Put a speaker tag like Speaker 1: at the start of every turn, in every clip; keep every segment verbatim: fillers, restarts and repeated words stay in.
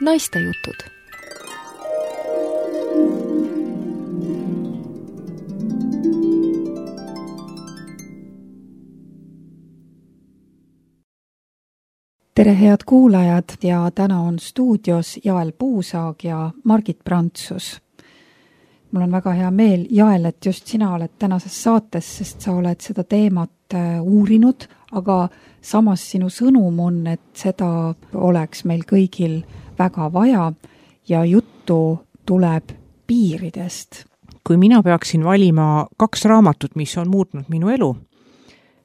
Speaker 1: Naistejutud. Tere head kuulajad ja täna on stuudios Jael Puusaag ja Margit Prantsus. Mul on väga hea meel, Jael, et just sina oled tänases saates, sest sa oled seda teemat uurinud, aga samas sinu sõnum on, et seda oleks meil kõigil väga vaja ja juttu tuleb piiridest.
Speaker 2: Kui mina peaksin valima kaks raamatut, mis on muutnud minu elu,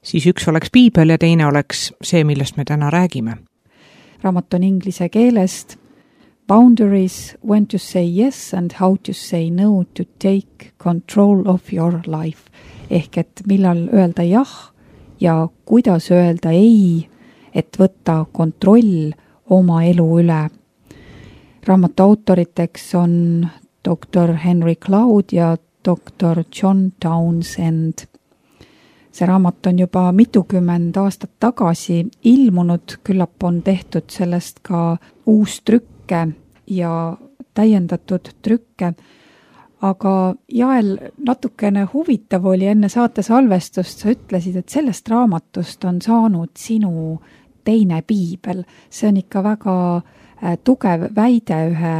Speaker 2: siis üks oleks piibel ja teine oleks see, millest me täna räägime.
Speaker 1: Raamat on inglise keelest Boundaries, when to say yes and how to say no to take control of your life. Ehk et millal öelda jah ja kuidas öelda ei, et võtta kontroll oma elu üle. Raamatu autoriteks on doktor Henry Cloud ja doktor John Townsend. See raamat on juba mitukümmend aastat tagasi ilmunud, küllap on tehtud sellest ka uus trükke ja täiendatud trükke. Aga Jael, natukene huvitav oli enne saate salvestust, sa ütlesid, et sellest raamatust on saanud sinu teine piibel. See on ikka väga tugev väide ühe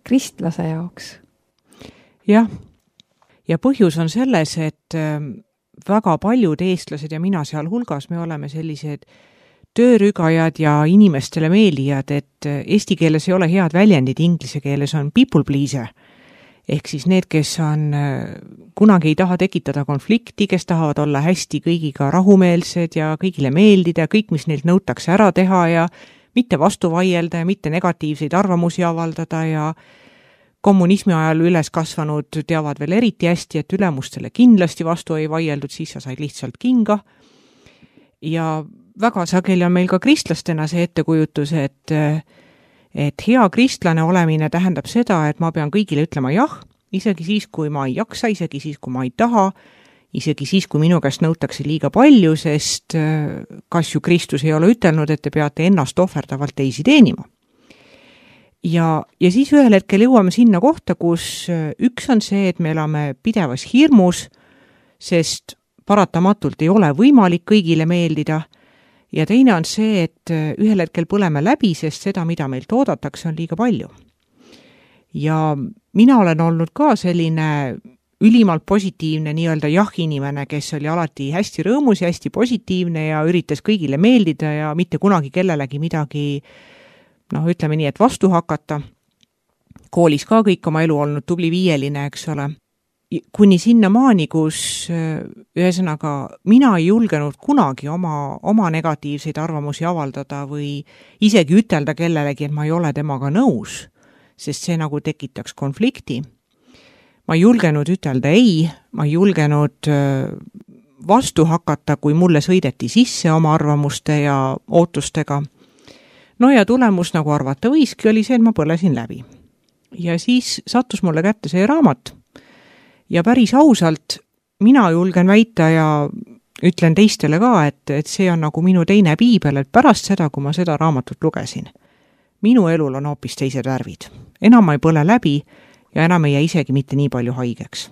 Speaker 1: kristlase jaoks.
Speaker 2: Jah, ja põhjus on selles, et väga paljud eestlased ja mina seal hulgas, me oleme sellised töörügajad ja inimestele meeldijad, et eesti keeles ei ole head väljendid, inglise keeles on people pleaser. Ehk siis need, kes on, kunagi ei taha tekitada konflikti, kes tahavad olla hästi kõigiga rahumeelsed ja kõigile meeldida, kõik, mis neilt nõutakse ära teha ja mitte vastu vaielda ja mitte negatiivseid arvamusi avaldada ja kommunismi ajal üles kasvanud teavad veel eriti hästi, et ülemustele kindlasti vastu ei vaieldud, siis sa said lihtsalt kinga. Ja väga sageli on meil ka kristlastena see ettekujutus, et et hea kristlane olemine tähendab seda, et ma pean kõigile ütlema jah, isegi siis, kui ma ei jaksa, isegi siis, kui ma ei taha, isegi siis, kui minu käest nõutakse liiga palju, sest kas ju Kristus ei ole ütelnud, et te peate ennast ohverdavalt teisi teenima. Ja, ja siis ühel hetkel jõuame sinna kohta, kus üks on see, et me elame pidevas hirmus, sest paratamatult ei ole võimalik kõigile meeldida. Ja teine on see, et ühel hetkel põleme läbi, sest seda, mida meilt oodatakse, on liiga palju. Ja mina olen olnud ka selline ülimalt positiivne nii-öelda jah-inimene, kes oli alati hästi rõõmus ja hästi positiivne ja üritas kõigile meeldida ja mitte kunagi kellelegi midagi, noh, ütleme nii, et vastu hakata. Koolis ka kõik oma elu olnud tubli viieline, eks ole. Kuni sinna maani, kus ühesõnaga mina ei julgenud kunagi oma, oma negatiivseid arvamusi avaldada või isegi ütelda kellelegi, et ma ei ole temaga nõus, sest see nagu tekitaks konflikti. Ma ei julgenud ütelda ei, ma ei julgenud vastu hakata, kui mulle sõideti sisse oma arvamuste ja ootustega. No ja tulemus, nagu arvata võiski, oli see, et ma põlesin läbi. Ja siis sattus mulle kätte see raamat. Ja päris ausalt, mina julgen väita ja ütlen teistele ka, et, et see on nagu minu teine piibel, et pärast seda, kui ma seda raamatut lugesin. Minu elul on hoopis teised värvid. Enam ma ei põle läbi ja enam ei jää isegi mitte nii palju haigeks.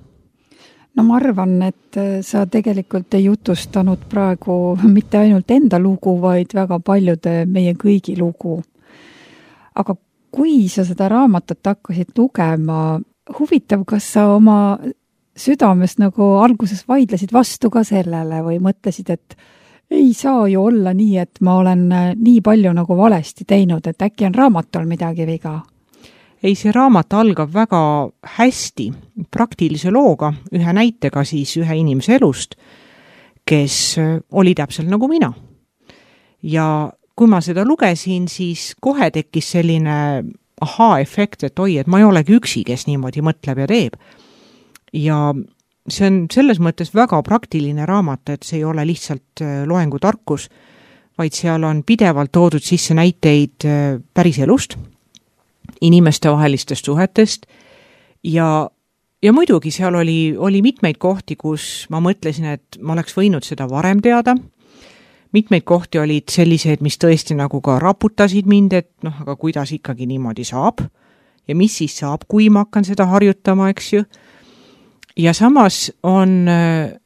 Speaker 1: No ma arvan, et sa tegelikult ei jutustanud praegu mitte ainult enda lugu, vaid väga paljude meie kõigi lugu. Aga kui sa seda raamatut hakkasid lugema, huvitav, kas sa oma südames nagu alguses vaidlesid vastu ka sellele või mõtlesid, et ei saa ju olla nii, et ma olen nii palju nagu valesti teinud, et äkki on raamatul midagi viga?
Speaker 2: Ei, see raamat algab väga hästi praktilise looga, ühe näitega siis ühe inimese elust, kes oli täpselt nagu mina. Ja kui ma seda lugesin, siis kohe tekkis selline ahaa-efekt, et oi, et ma ei olegi üksi, kes niimoodi mõtleb ja teeb. Ja see on selles mõttes väga praktiline raamat, et see ei ole lihtsalt loengutarkus, vaid seal on pidevalt toodud sisse näiteid päris elust, inimeste vahelistest suhetest ja, ja muidugi seal oli, oli mitmeid kohti, kus ma mõtlesin, et ma oleks võinud seda varem teada, mitmeid kohti olid sellised, mis tõesti nagu ka raputasid mind, et noh, aga kuidas ikkagi niimoodi saab ja mis siis saab, kui ma hakkan seda harjutama, eks ju. Ja samas on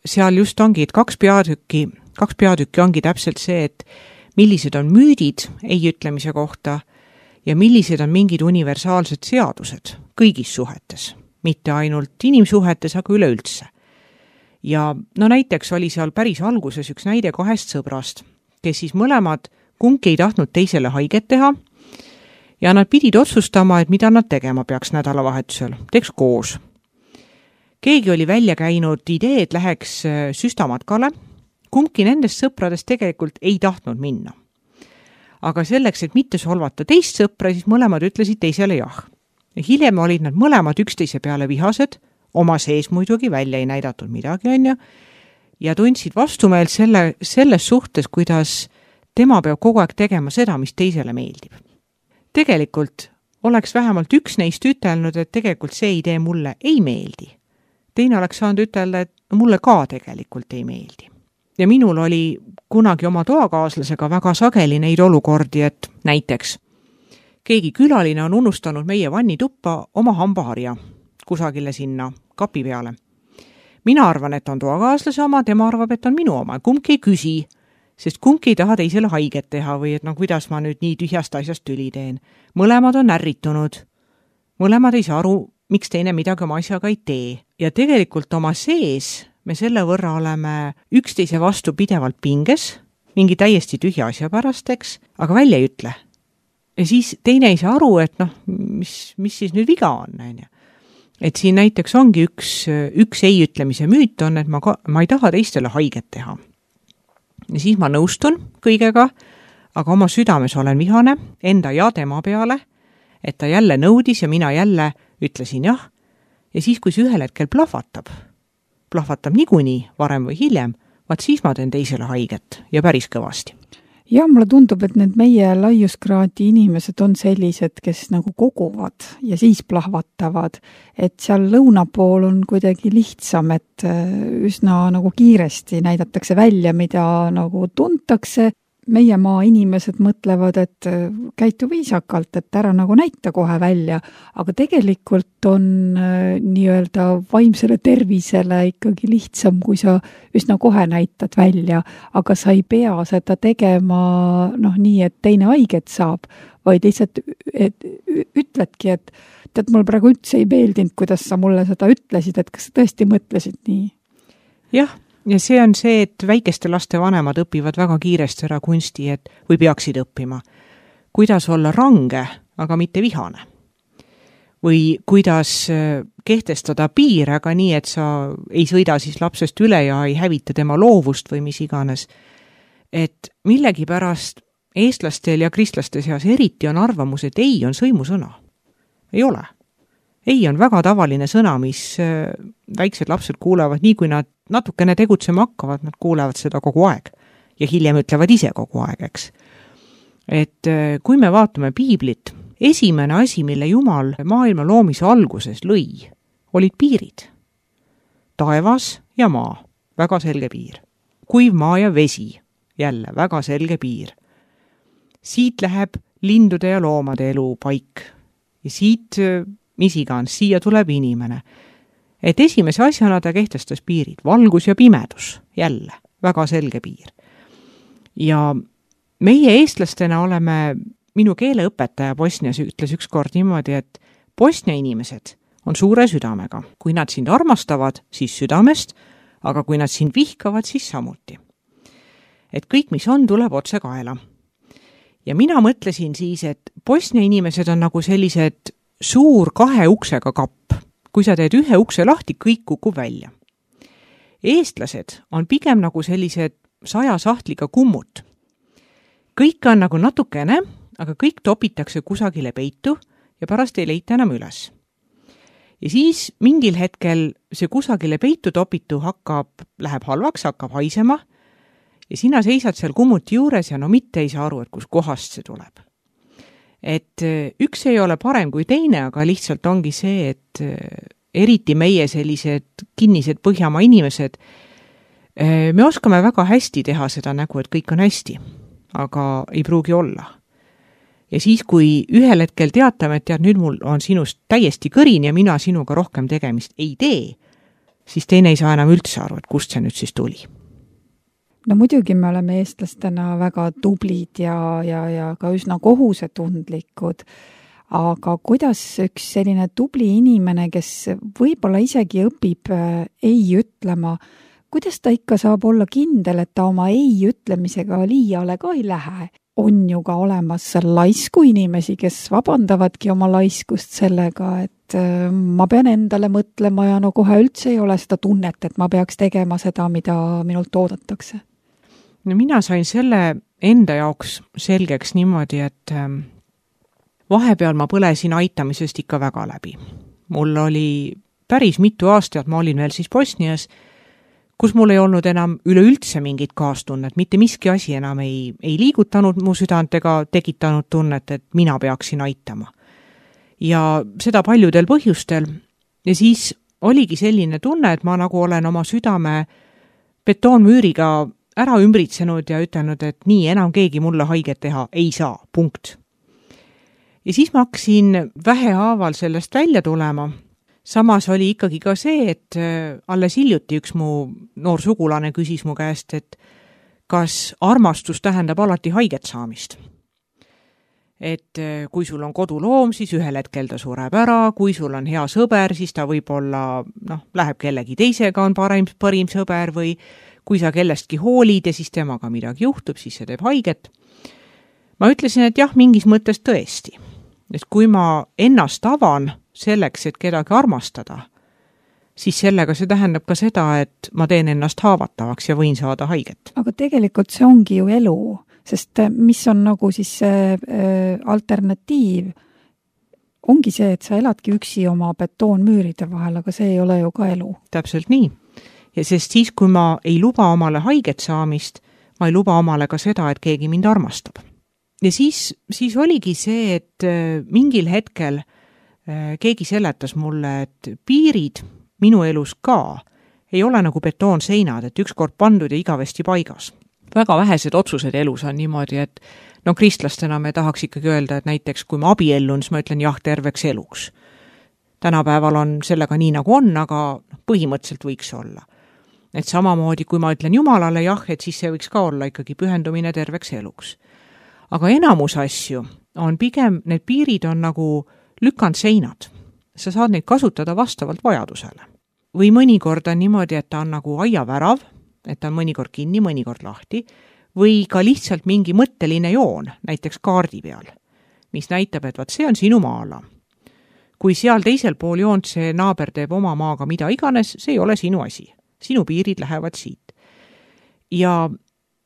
Speaker 2: seal just ongi, et kaks peatükki, kaks peatükki ongi täpselt see, et millised on müüdid ei ütlemise kohta ja millised on mingid universaalsed seadused kõigis suhetes, mitte ainult inimsuhetes, aga üleüldse. Ja no näiteks oli seal päris alguses üks näide kahest sõbrast, kes siis mõlemad kumbki ei tahtnud teisele haiget teha ja nad pidid otsustama, et mida nad tegema peaks nädalavahetusel, teeks koos. Keegi oli välja käinud idee, et läheks süstamatkale, kumbki nendest sõpradest tegelikult ei tahtnud minna. Aga selleks, et mitte solvata teist sõpra, siis mõlemad ütlesid teisele jah. Ja hiljem olid nad mõlemad üksteise peale vihased, oma sees muidugi välja ei näidatud midagi, on ju, ja tundsid vastumeelt selle, selles suhtes, kuidas tema peab kogu aeg tegema seda, mis teisele meeldib. Tegelikult oleks vähemalt üks neist ütelnud, et tegelikult see idee mulle ei meeldi. Teine oleks saanud ütelda, et mulle ka tegelikult ei meeldi. Ja minul oli kunagi oma toakaaslasega väga sageli neid olukordi, et näiteks keegi külaline on unustanud meie vannituppa oma hambaharja kusagile sinna kapi peale. Mina arvan, et on toakaaslase oma, tema arvab, et on minu oma. Kumbki ei küsi, sest kumbki ei taha teisele haiget teha või et no kuidas ma nüüd nii tühjast asjast tüli teen. Mõlemad on ärritunud. Mõlemad ei saa aru, miks teine midagi oma asjaga ei tee. Ja tegelikult oma sees me selle võrra oleme üksteise vastu pidevalt pinges, mingi täiesti tühja asja pärasteks, aga välja ei ütle. Ja siis teine ei saa aru, et noh, mis, mis siis nüüd viga on, on ju. Et siin näiteks ongi üks, üks ei ütlemise müüt on, et ma, ka, ma ei taha teistele haiget teha. Ja siis ma nõustun kõigega, aga oma südames olen vihane enda ja tema peale, et ta jälle nõudis ja mina jälle ütlesin jah. Ja siis, kui see ühel hetkel plahvatab, plahvatab niikuinii varem või hiljem, vaat siis ma teen teisele haiget ja päris kõvasti.
Speaker 1: Ja mulle tundub, et need meie laiuskraadi inimesed on sellised, kes nagu koguvad ja siis plahvatavad, et seal lõuna pool on kuidagi lihtsam, et üsna nagu kiiresti näidatakse välja, mida nagu tuntakse. Meie maa inimesed mõtlevad, et käitu viisakalt, et ära nagu näita kohe välja, aga tegelikult on nii-öelda vaimsele tervisele ikkagi lihtsam, kui sa üsna kohe näitad välja, aga sa ei pea seda tegema noh, nii, et teine haiget saab, vaid lihtsalt et, ütledki, et tead, mul praegu üldse ei meeldinud, kuidas sa mulle seda ütlesid, et kas sa tõesti mõtlesid nii?
Speaker 2: Jah. Ja see on see, et väikeste laste vanemad õpivad väga kiiresti ära kunsti, et, või peaksid õppima. Kuidas olla range, aga mitte vihane. Või kuidas kehtestada piir, aga nii, et sa ei sõida siis lapsest üle ja ei hävita tema loovust või mis iganes. Et millegi pärast eestlastel ja kristlaste seas eriti on arvamus, et ei on sõimusõna. Ei ole. Ei on väga tavaline sõna, mis väiksed lapsed kuulevad, nii kui nad natukene tegutsema hakkavad, nad kuulevad seda kogu aeg ja hiljem ütlevad ise kogu aeg, eks. Et kui me vaatame piiblit, esimene asi, mille Jumal maailma loomise alguses lõi, olid piirid. Taevas ja maa, väga selge piir. Kuiv maa ja vesi, jälle väga selge piir. Siit läheb lindude ja loomade elu paik ja siit mis igan, siia tuleb inimene. Et esimese asjana ta kehtestas piirid, valgus ja pimedus, jälle, väga selge piir. Ja meie eestlastena oleme, minu keeleõpetaja Bosnias ütles ükskord niimoodi, et Bosnia inimesed on suure südamega. Kui nad sind armastavad, siis südamest, aga kui nad sind vihkavad, siis samuti. Et kõik, mis on, tuleb otse kaela. Ja mina mõtlesin siis, et Bosnia inimesed on nagu sellised suur kahe uksega kapp. Kui sa teed ühe ukse lahti, kõik kukub välja. Eestlased on pigem nagu sellised saja sahtliga kummut. Kõik on nagu natukene, aga kõik topitakse kusagile peitu ja pärast ei leita enam üles. Ja siis mingil hetkel see kusagile peitu topitu hakkab, läheb halvaks, hakkab haisema ja sina seisad seal kummuti juures ja no mitte ei saa aru, et kus kohast see tuleb. Et üks ei ole parem kui teine, aga lihtsalt ongi see, et eriti meie sellised kinnised Põhjamaa inimesed, Me oskame väga hästi teha seda nägu, et kõik on hästi, aga ei pruugi olla. Ja siis, kui ühel hetkel teatame, et tead, nüüd mul on sinust täiesti kõrin ja mina sinuga rohkem tegemist ei tee, siis teine ei saa enam üldse aru, et kust see nüüd siis tuli.
Speaker 1: No muidugi me oleme eestlastena väga tublid ja, ja, ja ka üsna kohusetundlikud, aga kuidas üks selline tubli inimene, kes võib-olla isegi õpib ei ütlema, kuidas ta ikka saab olla kindel, et ta oma ei ütlemisega liiale ka ei lähe? On ju ka olemas laisku inimesi, kes vabandavadki oma laiskust sellega, et ma pean endale mõtlema ja no kohe üldse ei ole seda tunnet, et ma peaks tegema seda, mida minult oodatakse.
Speaker 2: No mina sain selle enda jaoks selgeks niimoodi, et vahepeal ma põlesin aitamisest ikka väga läbi. Mul oli päris mitu aastat, ma olin veel siis Bosnias, kus mul ei olnud enam üleüldse mingit kaastunnet, mitte miski asi enam ei, ei liigutanud mu südant ega tekitanud tunnet, et mina peaksin aitama. Ja seda paljudel põhjustel. Ja siis oligi selline tunne, et ma nagu olen oma südame betoonmüüriga ära ümbritsenud ja ütelnud, et nii enam keegi mulle haiget teha ei saa, punkt. Ja siis ma hakkasin vähehaaval sellest välja tulema. Samas oli ikkagi ka see, et alles hiljuti üks mu noor sugulane küsis mu käest, et kas armastus tähendab alati haiget saamist. Et kui sul on koduloom, siis ühel hetkel ta sureb ära, kui sul on hea sõber, siis ta võib-olla noh, läheb kellegi teisega, on parim, parim sõber või kui sa kellestki hoolid ja siis temaga midagi juhtub, siis see teeb haiget. Ma ütlesin, et jah, mingis mõttes tõesti. Et kui ma ennast avan selleks, et kedagi armastada, siis sellega see tähendab ka seda, et ma teen ennast haavatavaks ja võin saada haiget.
Speaker 1: Aga tegelikult see ongi ju elu, sest mis on nagu siis see alternatiiv, ongi see, et sa eladki üksi oma betoonmüüride vahel, aga see ei ole ju ka elu.
Speaker 2: Täpselt nii. Ja sest siis, kui ma ei luba omale haiget saamist, ma ei luba omale ka seda, et keegi mind armastab. Ja siis, siis oligi see, et mingil hetkel keegi seletas mulle, et piirid minu elus ka ei ole nagu betoonseinad, et ükskord pandud ja igavesti paigas. Väga vähesed otsused elus on niimoodi, et no kristlastena me tahaks ikkagi öelda, et näiteks kui ma abiellun, siis ma ütlen jah terveks eluks. Tänapäeval on sellega nii nagu on, aga põhimõtteliselt võiks olla. Et samamoodi, kui ma ütlen Jumalale jah, et siis see võiks ka olla ikkagi pühendumine terveks eluks. Aga enamus asju on pigem, need piirid on nagu lükanud seinad. Sa saad neid kasutada vastavalt vajadusele. Või mõnikord on niimoodi, et ta on nagu aiavärav, et ta on mõnikord kinni, mõnikord lahti, või ka lihtsalt mingi mõtteline joon, näiteks kaardi peal, mis näitab, et vaat see on sinu maala. Kui seal teisel pool joont see naaber teeb oma maaga mida iganes, see ei ole sinu asi. Sinu piirid lähevad siit. Ja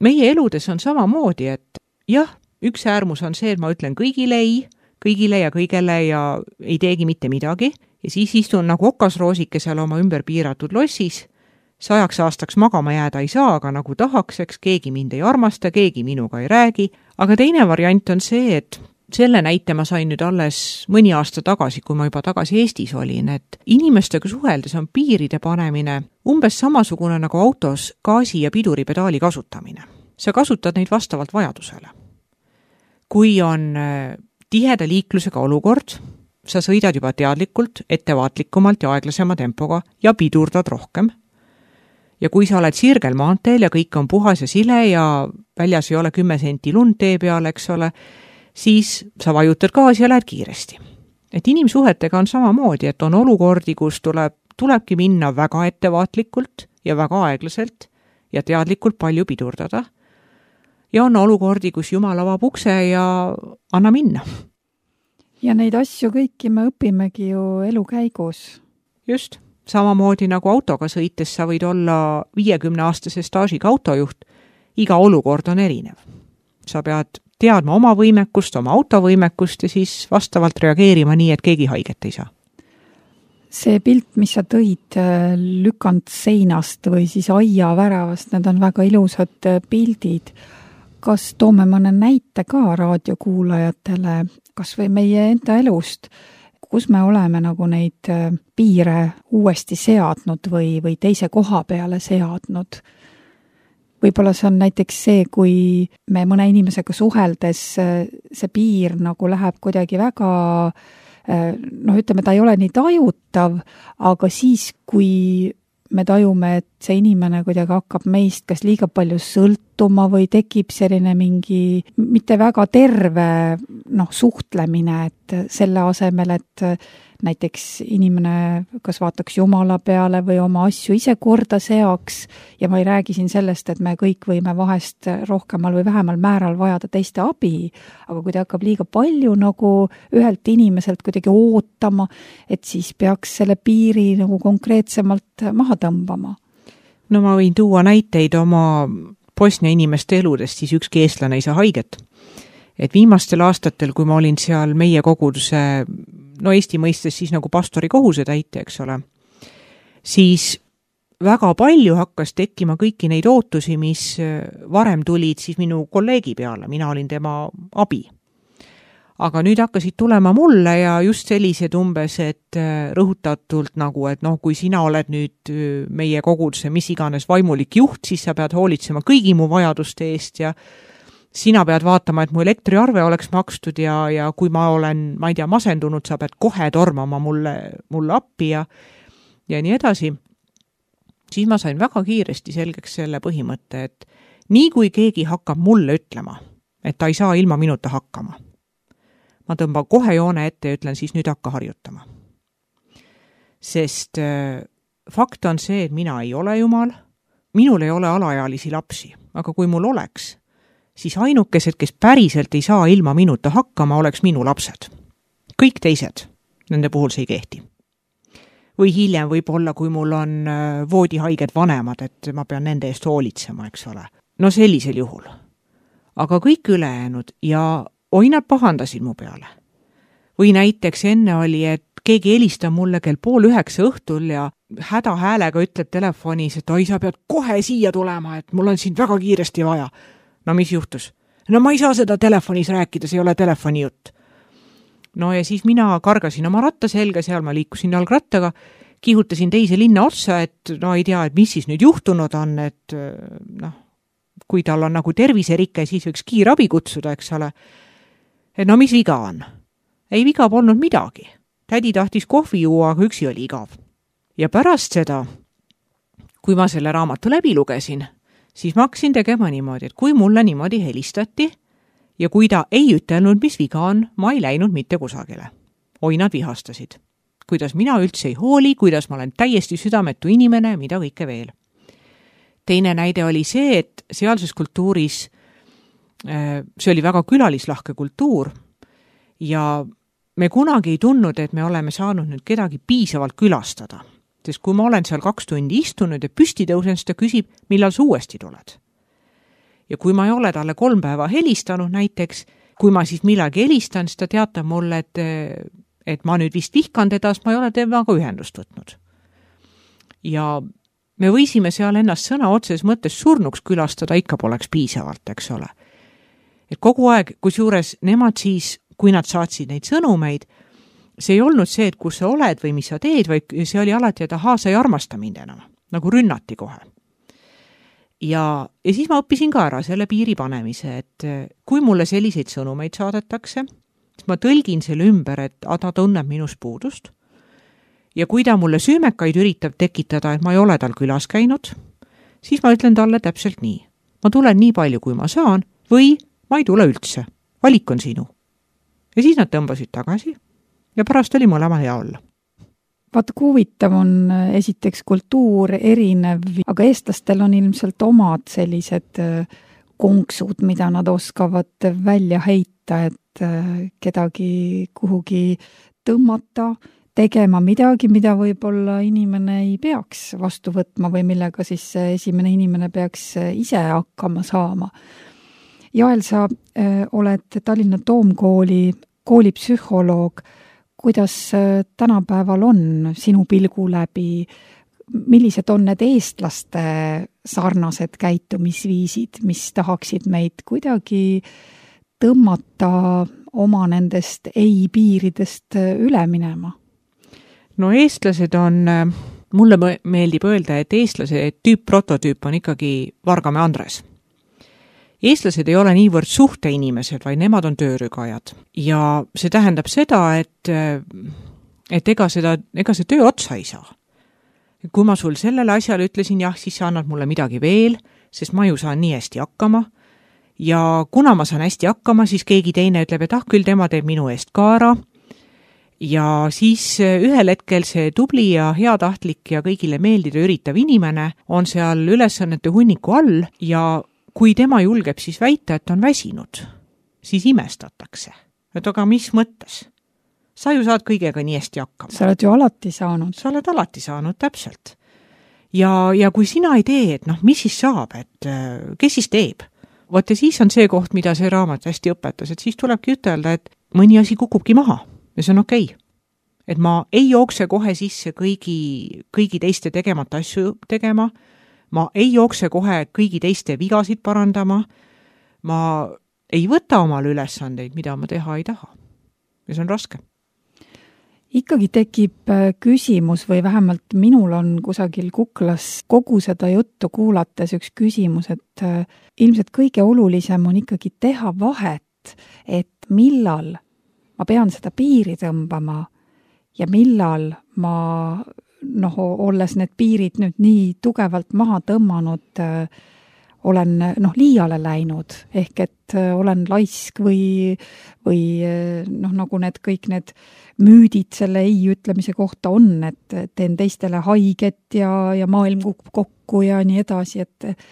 Speaker 2: meie eludes on samamoodi, et jah, üks äärmus on see, et ma ütlen kõigile ei, kõigile ja kõigele ja ei teegi mitte midagi ja siis istun nagu okasroosike seal oma ümber piiratud lossis, sajaks aastaks magama jääda ei saa, aga nagu tahakseks, keegi mind ei armasta, keegi minuga ei räägi, aga teine variant on see, et selle näite ma sain nüüd alles mõni aasta tagasi, kui ma juba tagasi Eestis olin, et inimestega suheldes on piiride panemine umbes samasugune nagu autos gaasi ja piduripedaali kasutamine. Sa kasutad neid vastavalt vajadusele. Kui on tiheda liiklusega olukord, sa sõidad juba teadlikult, ettevaatlikumalt ja aeglasema tempoga ja pidurdad rohkem. Ja kui sa oled sirgel maanteel ja kõik on puhas ja sile ja väljas ei ole kümme senti lund tee peal, eks ole, siis sa vajutad gaasi ja lähed kiiresti. Et inimsuhetega on samamoodi, et on olukordi, kus tuleb, tulebki minna väga ettevaatlikult ja väga aeglaselt ja teadlikult palju pidurdada. Ja on olukordi, kus Jumal avab ukse ja anna minna.
Speaker 1: Ja neid asju kõiki me õpimegi ju elu käigus.
Speaker 2: Just. Samamoodi nagu autoga sõites sa võid olla viiekümne aastase staažiga autojuht. Iga olukord on erinev. Sa pead teadma oma võimekust, oma autovõimekust ja siis vastavalt reageerima nii, et keegi haiget ei saa.
Speaker 1: See pilt, mis sa tõid lükanud seinast või siis aia väravast, need on väga ilusad pildid. Kas toome mõne näite ka raadiokuulajatele, kas või meie enda elust, kus me oleme nagu neid piire uuesti seadnud või, või teise koha peale seadnud? võib-olla see on näiteks see, kui me mõne inimesega suheldes see piir nagu läheb kuidagi väga, noh, ütleme, ta ei ole nii tajutav, aga siis, kui me tajume, et see inimene kuidagi hakkab meist kas liiga palju sõltuma või tekib selline mingi mitte väga terve, noh, suhtlemine, et selle asemel, et näiteks inimene kas vaataks Jumala peale või oma asju ise korda seaks ja ma ei räägi siin sellest, et me kõik võime vahest rohkemal või vähemal määral vajada teiste abi, aga kui ta hakkab liiga palju nagu ühelt inimeselt kuidagi ootama, et siis peaks selle piiri nagu konkreetsemalt maha tõmbama.
Speaker 2: No ma võin tuua näiteid oma Bosnia inimeste eludest, siis ükski eestlane ei saa haiget. Et viimastel aastatel, kui ma olin seal meie koguduse, no Eesti mõistes siis nagu pastori kohuse täitja, eks ole, siis väga palju hakkas tekkima kõiki neid ootusi, mis varem tulid siis minu kolleegi peale, mina olin tema abi. Aga nüüd hakkasid tulema mulle ja just sellised umbes, et rõhutatult nagu, et noh, kui sina oled nüüd meie koguduse mis iganes vaimulik juht, siis sa pead hoolitsema kõigi mu vajaduste eest ja sina pead vaatama, et mu elektriarve oleks makstud ja, ja kui ma olen, ma ei tea, masendunud, sa pead kohe tormama mulle, mulle appi ja, ja nii edasi. Siis ma sain väga kiiresti selgeks selle põhimõtte, et nii kui keegi hakkab mulle ütlema, et ta ei saa ilma minuta hakkama, ma tõmban kohe joone ette ja ütlen siis nüüd hakka harjutama. Sest äh, fakt on see, et mina ei ole jumal, minul ei ole alaealisi lapsi, aga kui mul oleks, siis ainukesed, kes päriselt ei saa ilma minuta hakkama, oleks minu lapsed. Kõik teised, nende puhul see ei kehti. Või hiljem võib-olla, kui mul on voodihaiged vanemad, et ma pean nende eest hoolitsema, eks ole. No sellisel juhul. Aga kõik ülejäänud ja oi, nad pahandasid mu peale. Või näiteks enne oli, et keegi helistab mulle kell pool üheksa õhtul ja häda häälega ütleb telefonis, et oi, sa pead kohe siia tulema, et mul on sind väga kiiresti vaja. No mis juhtus? No ma ei saa seda telefonis rääkida, see ei ole telefoni jutt. No ja siis mina kargasin oma ratta selga, seal ma liikusin jalgrattaga, kihutasin teise linna otsa, et no ei tea, et mis siis nüüd juhtunud on, et noh, kui tal on nagu terviserike, siis võiks kiirabi kutsuda, eks ole. Et no mis viga on? Ei viga polnud midagi. Tädi tahtis kohvi juua, aga üksi oli igav. Ja pärast seda, kui ma selle raamatu läbi lugesin, siis ma hakkasin tegema niimoodi, et kui mulle niimoodi helistati ja kui ta ei ütelnud, mis viga on, ma ei läinud mitte kusagile. Oi, nad vihastasid. Kuidas mina üldse ei hooli, kuidas ma olen täiesti südametu inimene, mida kõike veel. Teine näide oli see, et sealses kultuuris, see oli väga külalislahke kultuur ja me kunagi ei tundnud, et me oleme saanud nüüd kedagi piisavalt külastada. Sest kui ma olen seal kaks tundi istunud ja püsti tõusen, siis ta küsib, millal sa uuesti tuled. Ja kui ma ei ole talle kolm päeva helistanud näiteks, kui ma siis millagi helistan, siis ta teatab mulle, et, et ma nüüd vist vihkan teda, sest ma ei ole temaga ühendust võtnud. Ja me võisime seal ennast sõna otses mõttes surnuks külastada, ikka poleks piisavalt, eks ole. Et kogu aeg, kusjuures nemad siis, kui nad saatsid neid sõnumeid, see ei olnud see, et kus sa oled või mis sa teed, vaid see oli alati, et ahaa, sa ei armasta mind enam, nagu rünnati kohe. Ja, ja siis ma õppisin ka ära selle piiri panemise, et kui mulle selliseid sõnumeid saadetakse, siis ma tõlgin selle ümber, et ta tunneb minus puudust. Ja kui ta mulle süümekaid üritab tekitada, et ma ei ole tal külas käinud, siis ma ütlen talle täpselt nii. Ma tulen nii palju, kui ma saan, või ma ei tule üldse. Valik on sinu. Ja siis nad tõmbasid tagasi. Ja pärast oli mõlema hea olla.
Speaker 1: Vaata, kui huvitav on esiteks kultuur erinev, aga eestlastel on ilmselt omad sellised konksud, mida nad oskavad välja heita, et kedagi kuhugi tõmmata, tegema midagi, mida võib-olla inimene ei peaks vastu võtma või millega siis esimene inimene peaks ise hakkama saama. Jael, sa oled Tallinna Toomkooli koolipsühholoog. Kuidas tänapäeval on sinu pilgu läbi, millised on need eestlaste sarnased käitumisviisid, mis tahaksid meid kuidagi tõmmata oma nendest ei-piiridest üle minema?
Speaker 2: No eestlased on mulle meeldib öelda, et eestlase tüüp-prototüüp on ikkagi Vargamäe Andres. Eestlased ei ole niivõrd suhteinimesed, vaid nemad on töörügajad. Ja see tähendab seda, et, et ega, seda, ega see töö otsa ei saa. Kui ma sul sellele asjale ütlesin, jah, siis sa annad mulle midagi veel, sest ma ju saan nii hästi hakkama. Ja kuna ma saan hästi hakkama, siis keegi teine ütleb, et ah, küll tema teeb minu eest ka ära. Ja siis ühel hetkel see tubli ja heatahtlik ja kõigile meeldida üritav inimene on seal ülesannete hunniku all ja kui tema julgeb siis väita, et on väsinud, siis imestatakse. Et aga mis mõttes? Sa ju saad kõigega nii hästi hakkama.
Speaker 1: Sa oled ju alati saanud.
Speaker 2: Sa oled alati saanud, täpselt. Ja, ja kui sina ei tee, et noh, mis siis saab, et kes siis teeb? Vot ja siis on see koht, mida see raamat hästi õpetas, et siis tulebki ütelda, et mõni asi kukubki maha ja see on okei. Et ma ei jookse kohe sisse kõigi, kõigi teiste tegemata asju tegema, ma ei jookse kohe kõigi teiste vigasid parandama, ma ei võta omal ülesandeid, mida ma teha ei taha. Ja see on raske.
Speaker 1: Ikkagi tekib küsimus või vähemalt minul on kusagil kuklas kogu seda juttu kuulates üks küsimus, et ilmselt kõige olulisem on ikkagi teha vahet, et millal ma pean seda piiri tõmbama ja millal ma, noh, olles need piirid nüüd nii tugevalt maha tõmmanud, olen noh, liiale läinud, ehk et olen laisk või, või noh, nagu need kõik need müüdid selle ei ütlemise kohta on, et teen teistele haiget ja, ja maailm kukub kokku ja nii edasi, et,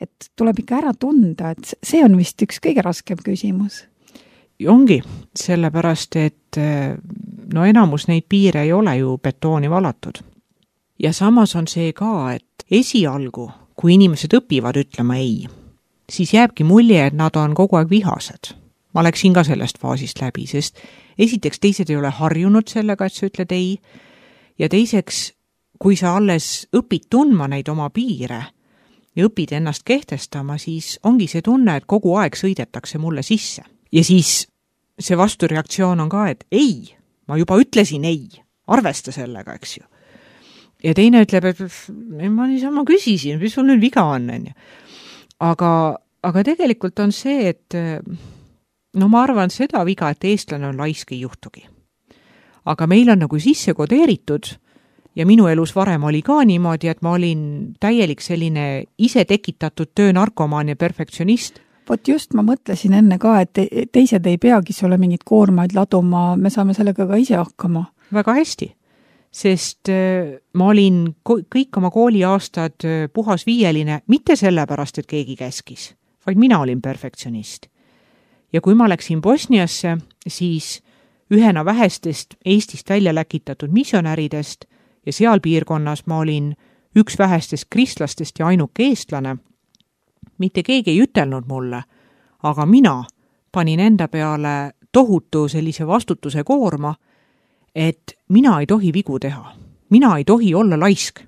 Speaker 1: et tuleb ikka ära tunda, et see on vist üks kõige raskem küsimus.
Speaker 2: Ongi, sellepärast, et no enamus neid piire ei ole ju betooni valatud. Ja samas on see ka, et esialgu, kui inimesed õpivad ütlema ei, siis jääbki mulje, et nad on kogu aeg vihased. Ma läksin ka sellest faasist läbi, sest esiteks teised ei ole harjunud sellega, et sa ütled ei, ja teiseks, kui sa alles õpid tundma neid oma piire ja õpid ennast kehtestama, siis ongi see tunne, et kogu aeg sõidetakse mulle sisse. Ja siis see vastureaktsioon on ka, et ei, ma juba ütlesin ei, arvesta sellega, eks ju. Ja teine ütleb, et ma niisama küsisin, mis sul nüüd viga on, on ju. Aga, aga tegelikult on see, et no ma arvan seda viga, et eestlane on laisk ei juhtugi. Aga meil on nagu sisse kodeeritud ja minu elus varem oli ka niimoodi, et ma olin täielik selline ise tekitatud töönarkomaan ja perfektsionist.
Speaker 1: Vot just ma mõtlesin enne ka, et teised ei peagi sulle mingid koormaid laduma, me saame sellega ka ise hakkama.
Speaker 2: Väga hästi, sest ma olin kõik oma kooliaastad puhas viieline, mitte sellepärast, et keegi käskis, vaid mina olin perfektsionist. Ja kui ma läksin Bosniasse, siis ühena vähestest Eestist välja läkitatud missionäridest ja seal piirkonnas ma olin üks vähestest kristlastest ja ainuke eestlane. Mitte keegi ei ütelnud mulle, aga mina panin enda peale tohutu sellise vastutuse koorma, et mina ei tohi vigu teha. Mina ei tohi olla laisk.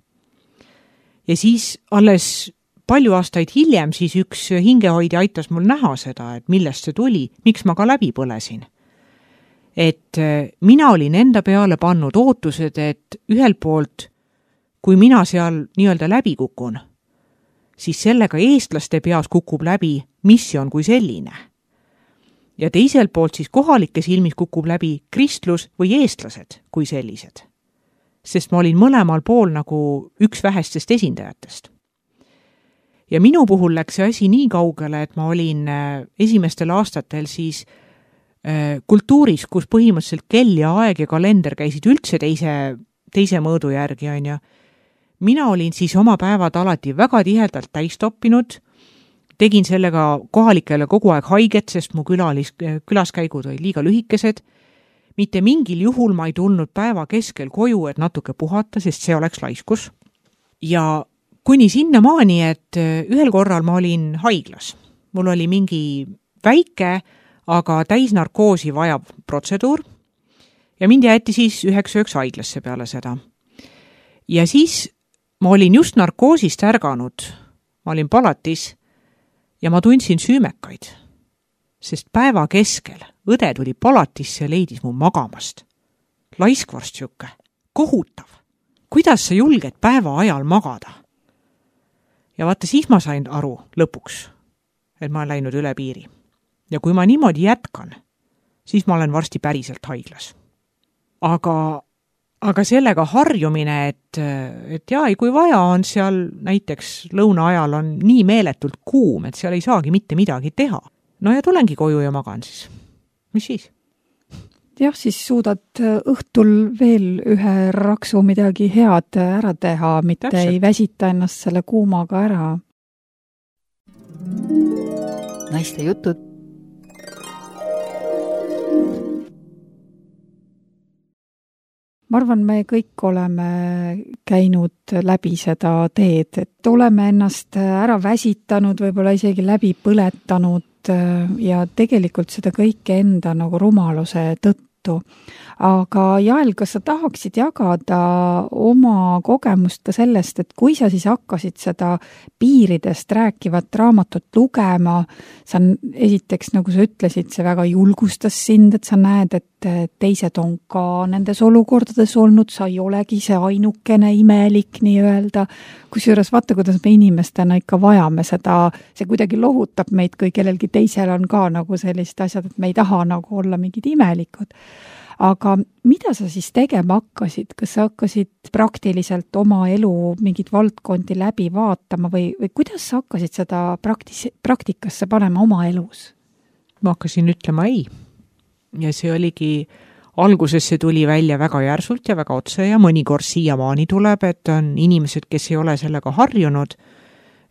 Speaker 2: Ja siis alles palju aastaid hiljem siis üks hingehoidja aitas mul näha seda, et millest see tuli, miks ma ka läbi põlesin. Et mina olin enda peale pannud ootused, et ühelt poolt, kui mina seal nii-öelda läbi kukun, siis sellega eestlaste peas kukub läbi missioon kui selline. Ja teiselt poolt siis kohalike silmis kukub läbi kristlus või eestlased kui sellised. Sest ma olin mõlemal pool nagu üks vähestest esindajatest. Ja minu puhul läks see asi nii kaugele, et ma olin esimestel aastatel siis kultuuris, kus põhimõtteliselt kell ja aeg ja kalender käisid üldse teise, teise mõõdu järgi, on ja mina olin siis oma päevad alati väga tihedalt täistoppinud, tegin sellega kohalikele kogu aeg haiget, sest mu külalis, külaskäigud olid liiga lühikesed. Mitte mingil juhul ma ei tulnud päeva keskel koju, et natuke puhata, sest see oleks laiskus. Ja kuni sinna maani, et ühel korral ma olin haiglas. Mul oli mingi väike, aga täisnarkoosi vajav protseduur ja mind jäeti siis üheks ööks haiglasse peale seda. Ja siis ma olin just narkoosist ärganud, ma olin palatis ja ma tundsin süümekaid, sest päeva keskel õde tuli palatisse ja leidis mu magamast. Laiskvorst siuke, kohutav, kuidas sa julged päeva ajal magada? Ja vaata, siis ma sain aru lõpuks, et ma olen läinud üle piiri. Ja kui ma niimoodi jätkan, siis ma olen varsti päriselt haiglas. Aga, aga sellega harjumine, et, et jaa, kui vaja on seal näiteks lõuna ajal on nii meeletult kuum, et seal ei saagi mitte midagi teha. No ja tulengi koju ja magan siis. Mis siis?
Speaker 1: Jah, siis suudad õhtul veel ühe raksu midagi head ära teha, mitte Täpselt. Ei väsita ennast selle kuumaga ära.
Speaker 3: Naiste jutud.
Speaker 1: Ma arvan, me kõik oleme käinud läbi seda teed, et oleme ennast ära väsitanud, võib-olla isegi läbi põletanud ja tegelikult seda kõike enda nagu rumaluse tõttu. Aga Jael, kas sa tahaksid jagada oma kogemust ka sellest, et kui sa siis hakkasid seda piiridest rääkivat raamatut lugema, sa esiteks, nagu sa ütlesid, see väga julgustas sind, et sa näed, et teised on ka nendes olukordades olnud, sa ei olegi see ainukene imelik nii-öelda. Kusjuures vaata, kuidas me inimestena ikka vajame seda, see kuidagi lohutab meid, kui kellelgi teisel on ka nagu sellist asjad, et me ei taha nagu olla mingid imelikud. Aga mida sa siis tegema hakkasid? Kas sa hakkasid praktiliselt oma elu mingid valdkondi läbi vaatama või, või kuidas sa hakkasid seda praktis, praktikasse panema oma elus?
Speaker 2: Ma hakkasin ütlema ei. Ja see oligi, alguses see tuli välja väga järsult ja väga otse ja mõnikord siiamaani tuleb, et on inimesed, kes ei ole sellega harjunud,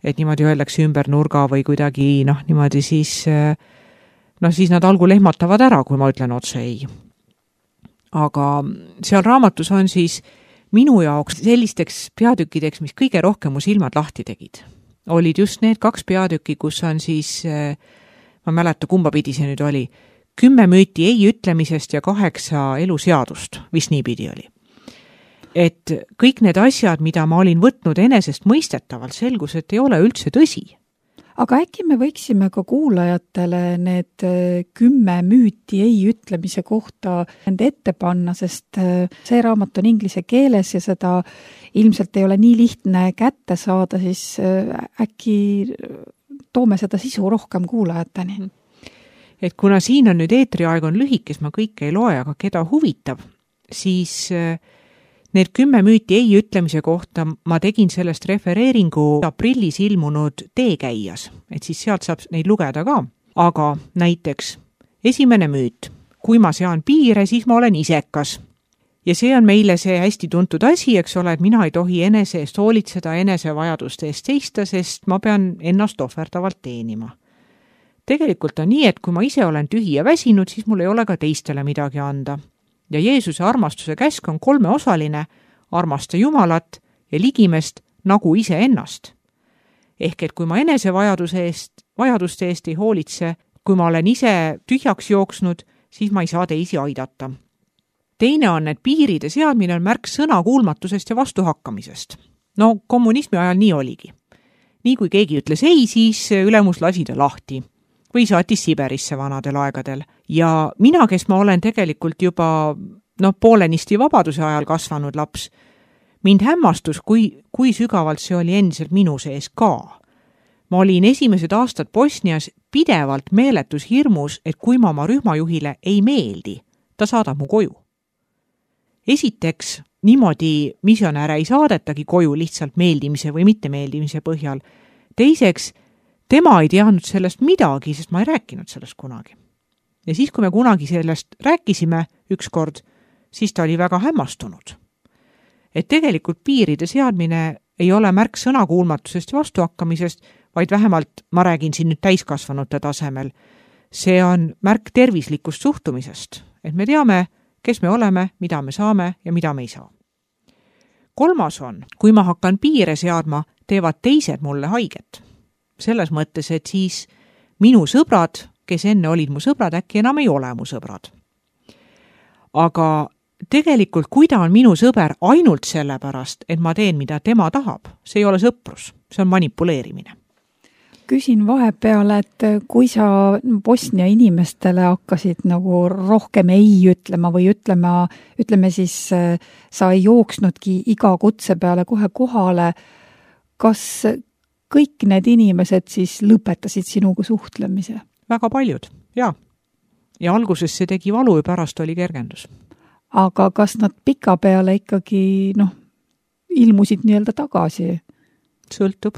Speaker 2: et niimoodi öeldakse ümber nurga või kuidagi, noh, niimoodi siis, noh, siis nad algul ehmatavad ära, kui ma ütlen otse ei. Aga seal raamatus on siis minu jaoks sellisteks peatükkideks, mis kõige rohkem mu silmad lahti tegid. Olid just need kaks peatükki, kus on siis, ma mäleta, kumba pidi see nüüd oli, kümme müüti ei ütlemisest ja kaheksa eluseadust, vist nii pidi oli. Et kõik need asjad, mida ma olin võtnud enesest mõistetavalt, selgus, et ei ole üldse tõsi.
Speaker 1: Aga äkki me võiksime ka kuulajatele need kümme müüti ei ütlemise kohta nende ette panna, sest see raamat on inglise keeles ja seda ilmselt ei ole nii lihtne kätte saada, siis äkki toome seda sisu rohkem kuulajateni.
Speaker 2: Et kuna siin on nüüd eetriaeg on lühikes, ma kõike ei loe, aga keda huvitab, siis need kümme müüti ei ütlemise kohta ma tegin sellest refereeringu aprillis ilmunud teekäijas, et siis sealt saab neid lugeda ka. Aga näiteks esimene müüt, kui ma sean piire, siis ma olen isekas. Ja see on meile see hästi tuntud asi, eks ole, et mina ei tohi enese eest hoolitseda, enese vajaduste eest seista, sest ma pean ennast ohverdavalt teenima. Tegelikult on nii, et kui ma ise olen tühi ja väsinud, siis mul ei ole ka teistele midagi anda. Ja Jeesuse armastuse käsk on kolmeosaline, armasta Jumalat ja ligimest nagu ise ennast. Ehk et kui ma enese vajaduse eest, vajaduste eest ei hoolitse, kui ma olen ise tühjaks jooksnud, siis ma ei saa teisi aidata. Teine on, et piiride seadmine on märk sõnakuulmatusest ja vastuhakkamisest. No kommunismi ajal nii oligi. Nii kui keegi ütles ei, siis ülemus lasi ta lahti või saatis Siberisse vanadel aegadel. Ja mina, kes ma olen tegelikult juba no, poolenisti vabaduse ajal kasvanud laps, mind hämmastus, kui, kui sügavalt see oli endiselt minu sees ka. Ma olin esimesed aastad Bosnias pidevalt meeletus hirmus, et kui ma oma rühmajuhile ei meeldi, ta saadab mu koju. Esiteks, niimoodi misionäre ei saadetagi koju lihtsalt meeldimise või mittemeeldimise põhjal. Teiseks, tema ei teadnud sellest midagi, sest ma ei rääkinud sellest kunagi. Ja siis, kui me kunagi sellest rääkisime ükskord, siis ta oli väga hämmastunud. Et tegelikult piiride seadmine ei ole märk sõnakuulmatusest ja vastuhakkamisest, vaid vähemalt, ma räägin siin nüüd täiskasvanute tasemel, see on märk tervislikust suhtumisest, et me teame, kes me oleme, mida me saame ja mida me ei saa. Kolmas on, kui ma hakkan piire seadma, teevad teised mulle haiget. Selles mõttes, et siis minu sõbrad, kes enne olid mu sõbrad, äkki enam ei ole mu sõbrad. Aga tegelikult, kui ta on minu sõber ainult sellepärast, et ma teen, mida tema tahab, see ei ole sõprus, see on manipuleerimine.
Speaker 1: küsin vahepeale, et kui sa Bosnia inimestele hakkasid nagu rohkem ei ütlema või ütlema, ütleme siis sa ei jooksnudki iga kutse peale kohe kohale, kas kõik need inimesed siis lõpetasid sinuga suhtlemise?
Speaker 2: Väga paljud, jaa. Ja alguses see tegi valu ja pärast oli kergendus.
Speaker 1: Aga kas nad pika peale ikkagi noh, ilmusid nii-öelda tagasi?
Speaker 2: Sõltub.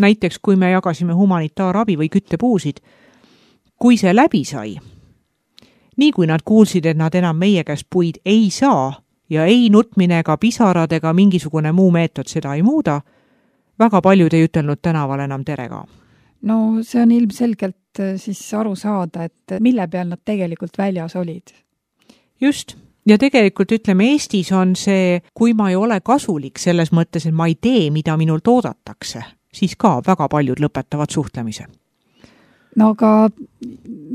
Speaker 2: Näiteks, kui me jagasime humanitaarabi või küttepuusid, kui see läbi sai, nii kui nad kuulsid, et nad enam meie käest puid ei saa ja ei nutmine ega pisarad ega mingisugune muu meetod seda ei muuda, väga paljud ei ütelnud tänaval enam tere ka.
Speaker 1: No see on ilmselgelt siis aru saada, et mille peal nad tegelikult väljas olid.
Speaker 2: Just. Ja tegelikult ütleme, Eestis on see, kui ma ei ole kasulik selles mõttes, et ma ei tee, mida minult oodatakse, siis ka väga paljud lõpetavad suhtlemise.
Speaker 1: No aga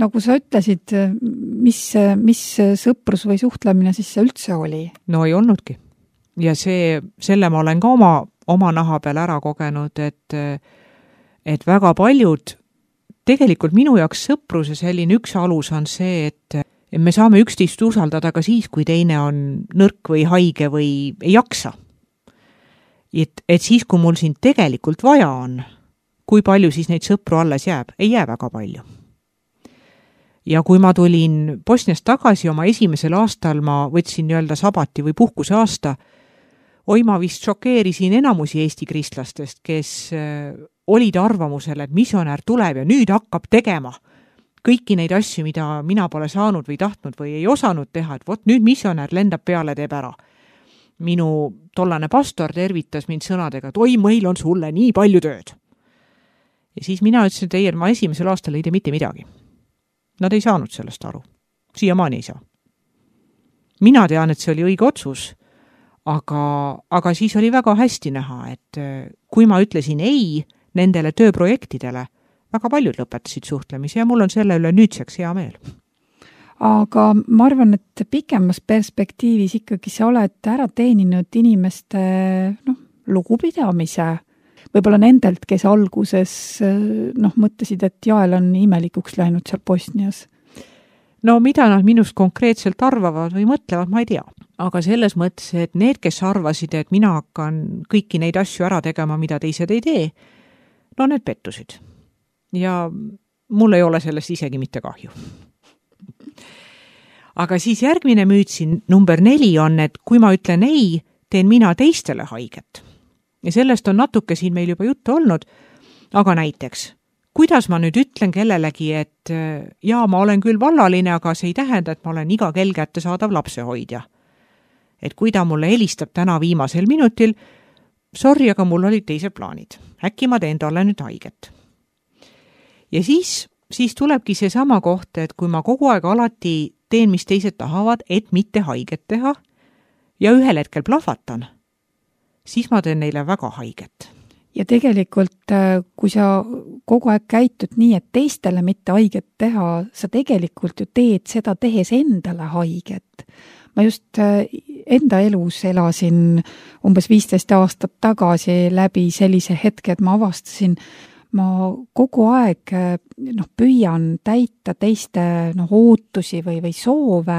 Speaker 1: nagu sa ütlesid, mis, mis sõprus või suhtlemine siis see üldse oli?
Speaker 2: No ei olnudki. Ja see, selle ma olen ka oma, oma naha peal ära kogenud, et, et väga paljud, tegelikult minu jaoks sõpruse selline üks alus on see, et et me saame üksteist usaldada ka siis, kui teine on nõrk või haige või ei jaksa. Et, et siis, kui mul siin tegelikult vaja on, kui palju siis neid sõpru alles jääb? Ei jää väga palju. Ja kui ma tulin Bosniast tagasi oma esimesel aastal, ma võtsin nii-öelda sabati või puhkuse aasta, oi ma vist šokeerisin enamusi Eesti kristlastest, kes olid arvamusel, et misjonär tuleb ja nüüd hakkab tegema kõiki neid asju, mida mina pole saanud või tahtnud või ei osanud teha, et vot nüüd misjonär lendab peale, teeb ära. Minu tollane pastor tervitas mind sõnadega, et oi, meil on sulle nii palju tööd. Ja siis mina ütlesin, et ei, ma esimesel aastal ei tee mitte midagi. Nad ei saanud sellest aru. Siiamaani ei saa. Mina tean, et see oli õige otsus, aga, aga siis oli väga hästi näha, et kui ma ütlesin ei nendele tööprojektidele, väga paljud lõpetasid suhtlemise ja mul on selle üle nüüdseks hea meel.
Speaker 1: Aga ma arvan, et pikemas perspektiivis ikkagi sa oled ära teeninud inimeste noh, lugupidamise. Võib-olla nendelt, kes alguses noh, mõtlesid, et jael on imelikuks läinud seal Bosnias.
Speaker 2: No mida nad minust konkreetselt arvavad või mõtlevad, ma ei tea. Aga selles mõttes, et need, kes arvasid, et mina hakkan kõiki neid asju ära tegema, mida teised ei tee, no need pettusid. Ja mul ei ole sellest isegi mitte kahju. Aga siis järgmine müüt siin number neli on, et kui ma ütlen ei, teen mina teistele haiget. Ja sellest on natuke siin meil juba juttu olnud, aga näiteks, kuidas ma nüüd ütlen kellelegi, et jaa, ma olen küll vallaline, aga see ei tähenda, et ma olen iga kell kätte saadav lapsehoidja. Et kui ta mulle helistab täna viimasel minutil, sorry, aga mul olid teised plaanid. Äkki ma teen talle nüüd haiget. Ja siis, siis tulebki see sama koht, et kui ma kogu aeg alati teen, mis teised tahavad, et mitte haiget teha ja ühel hetkel plahvatan, siis ma teen neile väga haiget.
Speaker 1: Ja tegelikult, kui sa kogu aeg käitud nii, et teistele mitte haiget teha, sa tegelikult ju teed seda tehes endale haiget. Ma just enda elus elasin umbes viisteist aastat tagasi läbi sellise hetke, et ma avastasin, ma kogu aeg noh, püüan täita teiste noh, ootusi või, või soove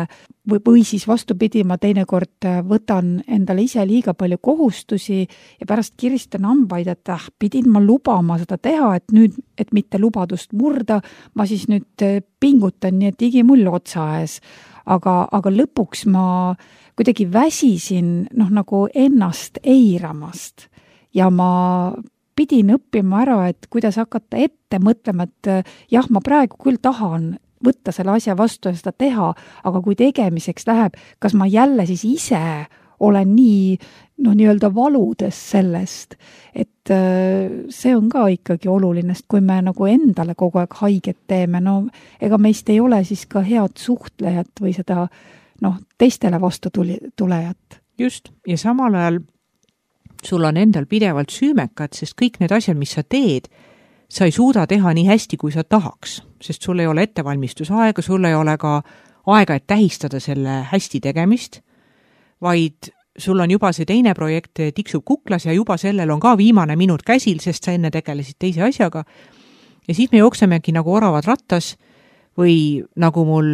Speaker 1: või, või siis vastupidi, ma teinekord võtan endale ise liiga palju kohustusi ja pärast kiristan hambaid, et ah, pidin ma lubama seda teha, et nüüd, et mitte lubadust murda, ma siis nüüd pingutan nii, et igimull otsa ees. Aga, aga lõpuks ma kuidagi väsisin noh, nagu ennast eiramast ja ma pidin õppima ära, et kuidas hakata ette mõtlema, et jah, ma praegu küll tahan võtta selle asja vastu ja seda teha, aga kui tegemiseks läheb, kas ma jälle siis ise olen nii, noh, nii-öelda valudes sellest, et see on ka ikkagi oluline, sest kui me nagu endale kogu aeg haiget teeme, no ega meist ei ole siis ka head suhtlejat või seda, noh, teistele vastu tuli, tulejat.
Speaker 2: Just, ja samal ajal sul on endal pidevalt süümekad, sest kõik need asjad, mis sa teed, sa ei suuda teha nii hästi, kui sa tahaks, sest sul ei ole ettevalmistusaega, sul ei ole ka aega, et tähistada selle hästi tegemist, vaid sul on juba see teine projekt tiksub kuklas ja juba sellel on ka viimane minut käsil, sest sa enne tegelesid teise asjaga. ja siis me jooksemegi nagu oravad rattas või nagu mul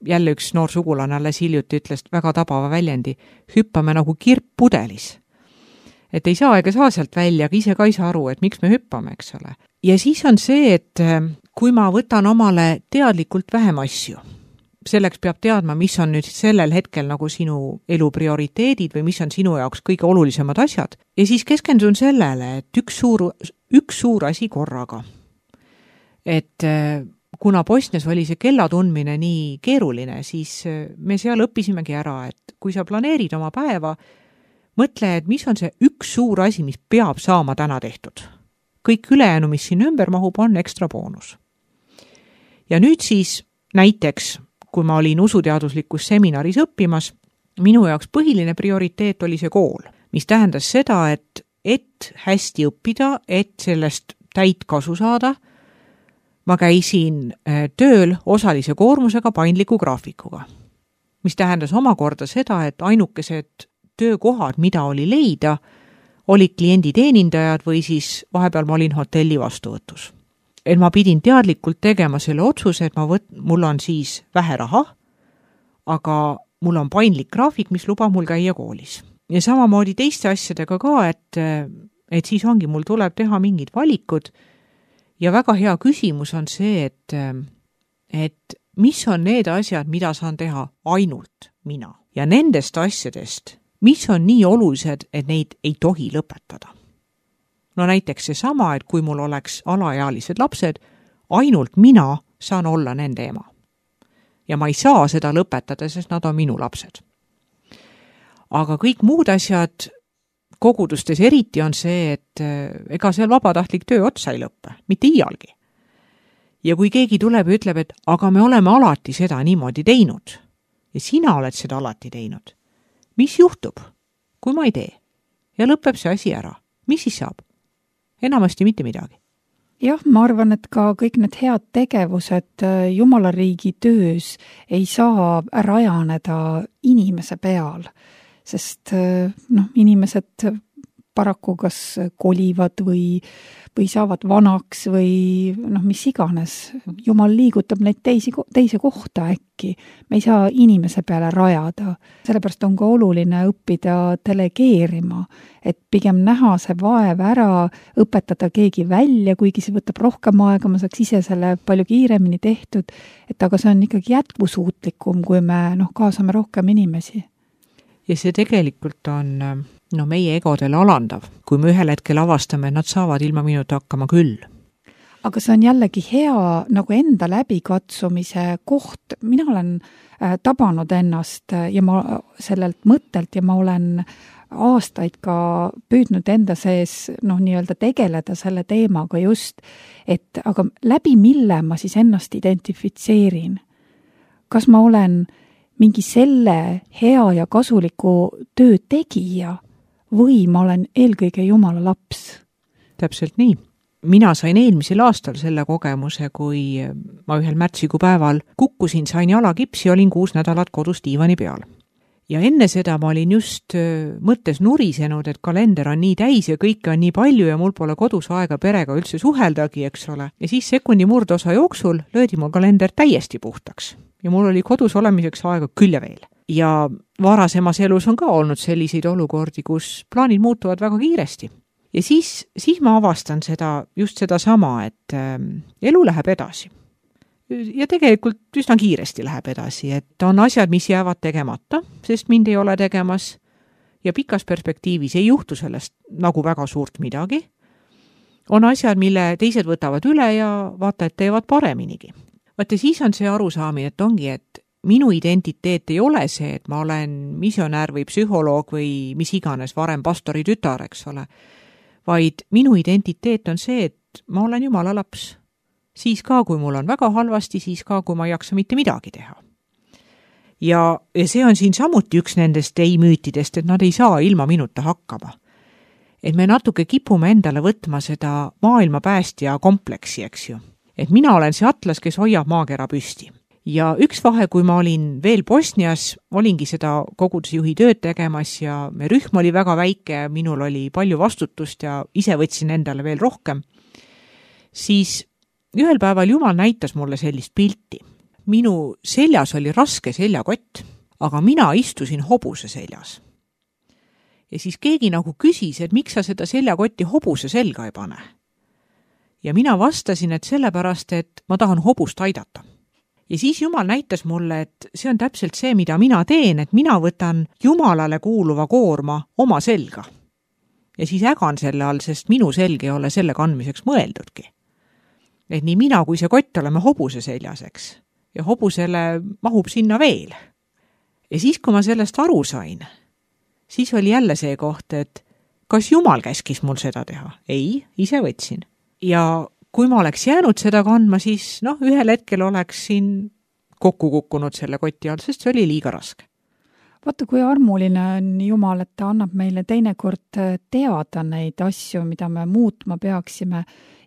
Speaker 2: jälle üks noor sugulane alles hiljuti ütles väga tabava väljendi, hüppame nagu kirp pudelis. Et ei saa ega saa sealt välja, aga ise ka ei saa aru, et miks me hüppame, eks ole. Ja siis on see, et kui ma võtan omale teadlikult vähem asju, selleks peab teadma, mis on nüüd sellel hetkel nagu sinu elu prioriteedid või mis on sinu jaoks kõige olulisemad asjad. Ja siis keskendun sellele, et üks suur, üks suur asi korraga. Et kuna Bosnias oli see kella tundmine nii keeruline, siis me seal õppisimegi ära, et kui sa planeerid oma päeva, mõtle, et mis on see üks suur asi, mis peab saama täna tehtud. Kõik ülejäänu, mis siin ümber mahub, on ekstra boonus. Ja nüüd siis näiteks, kui ma olin usuteaduslikus seminaris õppimas, minu jaoks põhiline prioriteet oli see kool, mis tähendas seda, et, et hästi õppida, et sellest täit kasu saada, ma käisin tööl osalise koormusega paindliku graafikuga, mis tähendas omakorda seda, et ainukesed töökohad, mida oli leida, olid klienditeenindajad või siis vahepeal ma olin hotelli vastuvõtus. Et ma pidin teadlikult tegema selle otsuse, et ma võt, mul on siis vähe raha, aga mul on paindlik graafik, mis lubab mul käia koolis. Ja samamoodi teiste asjadega ka, et, et siis ongi, mul tuleb teha mingid valikud ja väga hea küsimus on see, et, et mis on need asjad, mida saan teha ainult mina. Ja nendest asjadest, mis on nii olulised, et neid ei tohi lõpetada. No näiteks see sama, et kui mul oleks alaealised lapsed, ainult mina saan olla nende ema. Ja ma ei saa seda lõpetada, sest nad on minu lapsed. Aga kõik muud asjad kogudustes eriti on see, et ega seal vabatahtlik töö otsa ei lõppe, mitte iialgi. Ja kui keegi tuleb ja ütleb, et aga me oleme alati seda niimoodi teinud ja sina oled seda alati teinud, mis juhtub, kui ma ei tee? Ja lõpeb see asi ära. Mis siis saab? Enamasti mitte midagi.
Speaker 1: Jah, ma arvan, et ka kõik need head tegevused Jumala riigi töös ei saa rajaneda inimese peal, sest noh, inimesed paraku kas kolivad või, või saavad vanaks või noh, mis iganes. Jumal liigutab neid teisi, teise kohta äkki. Me ei saa inimese peale rajada. Sellepärast on ka oluline õppida delegeerima, et pigem näha see vaev ära, õpetada keegi välja, kuigi see võtab rohkem aega, ma saaks ise selle palju kiiremini tehtud, et aga see on ikkagi jätkusuutlikum, kui me noh, kaasame rohkem inimesi.
Speaker 2: Ja see tegelikult on no, meie egodele alandav, kui me ühel hetkel avastame, et nad saavad ilma minuta hakkama küll.
Speaker 1: Aga see on jällegi hea nagu enda läbikatsumise koht. Mina olen äh, tabanud ennast ja ma sellelt mõttelt ja ma olen aastaid ka püüdnud enda sees noh, nii-öelda tegeleda selle teemaga just, et aga läbi mille ma siis ennast identifitseerin. Kas ma olen mingi selle hea ja kasuliku töö tegija või ma olen eelkõige Jumala laps?
Speaker 2: Täpselt nii. Mina sain eelmisel aastal selle kogemuse, kui ma ühel märtsikuu päeval kukkusin, sain jalakipsi ja olin kuus nädalat kodus diivani peal. Ja enne seda ma olin just mõttes nurisenud, et kalender on nii täis ja kõike on nii palju ja mul pole kodus aega perega üldse suheldagi, eks ole. Ja siis sekundi murdosa jooksul löödi mul kalender täiesti puhtaks. Ja mul oli kodus olemiseks aega küll ja veel. Ja varasemas elus on ka olnud selliseid olukordi, kus plaanid muutuvad väga kiiresti. Ja siis, siis ma avastan seda, just seda sama, et äh, elu läheb edasi. Ja tegelikult üsna kiiresti läheb edasi, et on asjad, mis jäävad tegemata, sest mind ei ole tegemas ja pikas perspektiivis ei juhtu sellest nagu väga suurt midagi. On asjad, mille teised võtavad üle ja vaata, et teevad pareminigi. Vaata, siis on see arusaamine, et ongi, et minu identiteet ei ole see, et ma olen misionär või psühholoog või mis iganes varem pastori tütar, eks ole, vaid minu identiteet on see, et ma olen Jumala laps. Siis ka, kui mul on väga halvasti, siis ka, kui ma ei jaksa mitte midagi teha. Ja, ja see on siin samuti üks nendest ei-müütidest, et nad ei saa ilma minuta hakkama. Et me natuke kipume endale võtma seda maailma päästja kompleksi, eks ju. Et mina olen see atlas, kes hoiab maakera püsti. Ja üks vahe, kui ma olin veel Bosnias, olingi seda kogudusjuhi tööd tegemas ja me rühm oli väga väike, minul oli palju vastutust ja ise võtsin endale veel rohkem, siis ühel päeval Jumal näitas mulle sellist pilti. Minu seljas oli raske seljakott, aga mina istusin hobuse seljas. Ja siis keegi nagu küsis, et miks sa seda seljakotti hobuse selga ei pane. Ja mina vastasin, et sellepärast, et ma tahan hobust aidata. Ja siis Jumal näitas mulle, et see on täpselt see, mida mina teen, et mina võtan Jumalale kuuluva koorma oma selga. Ja siis ägan selle all, sest minu selg ei ole selle kandmiseks mõeldudki. Et nii mina kui see kott oleme hobuse seljaseks ja hobusele mahub sinna veel. Ja siis, kui ma sellest aru sain, siis oli jälle see koht, et kas Jumal käskis mul seda teha? Ei, ise võtsin. Ja kui ma oleks jäänud seda kandma, siis noh, ühel hetkel oleks siin kokku kukkunud selle koti all, sest see oli liiga raske.
Speaker 1: Vaata, kui armuline on Jumal, et ta annab meile teinekord teada neid asju, mida me muutma peaksime.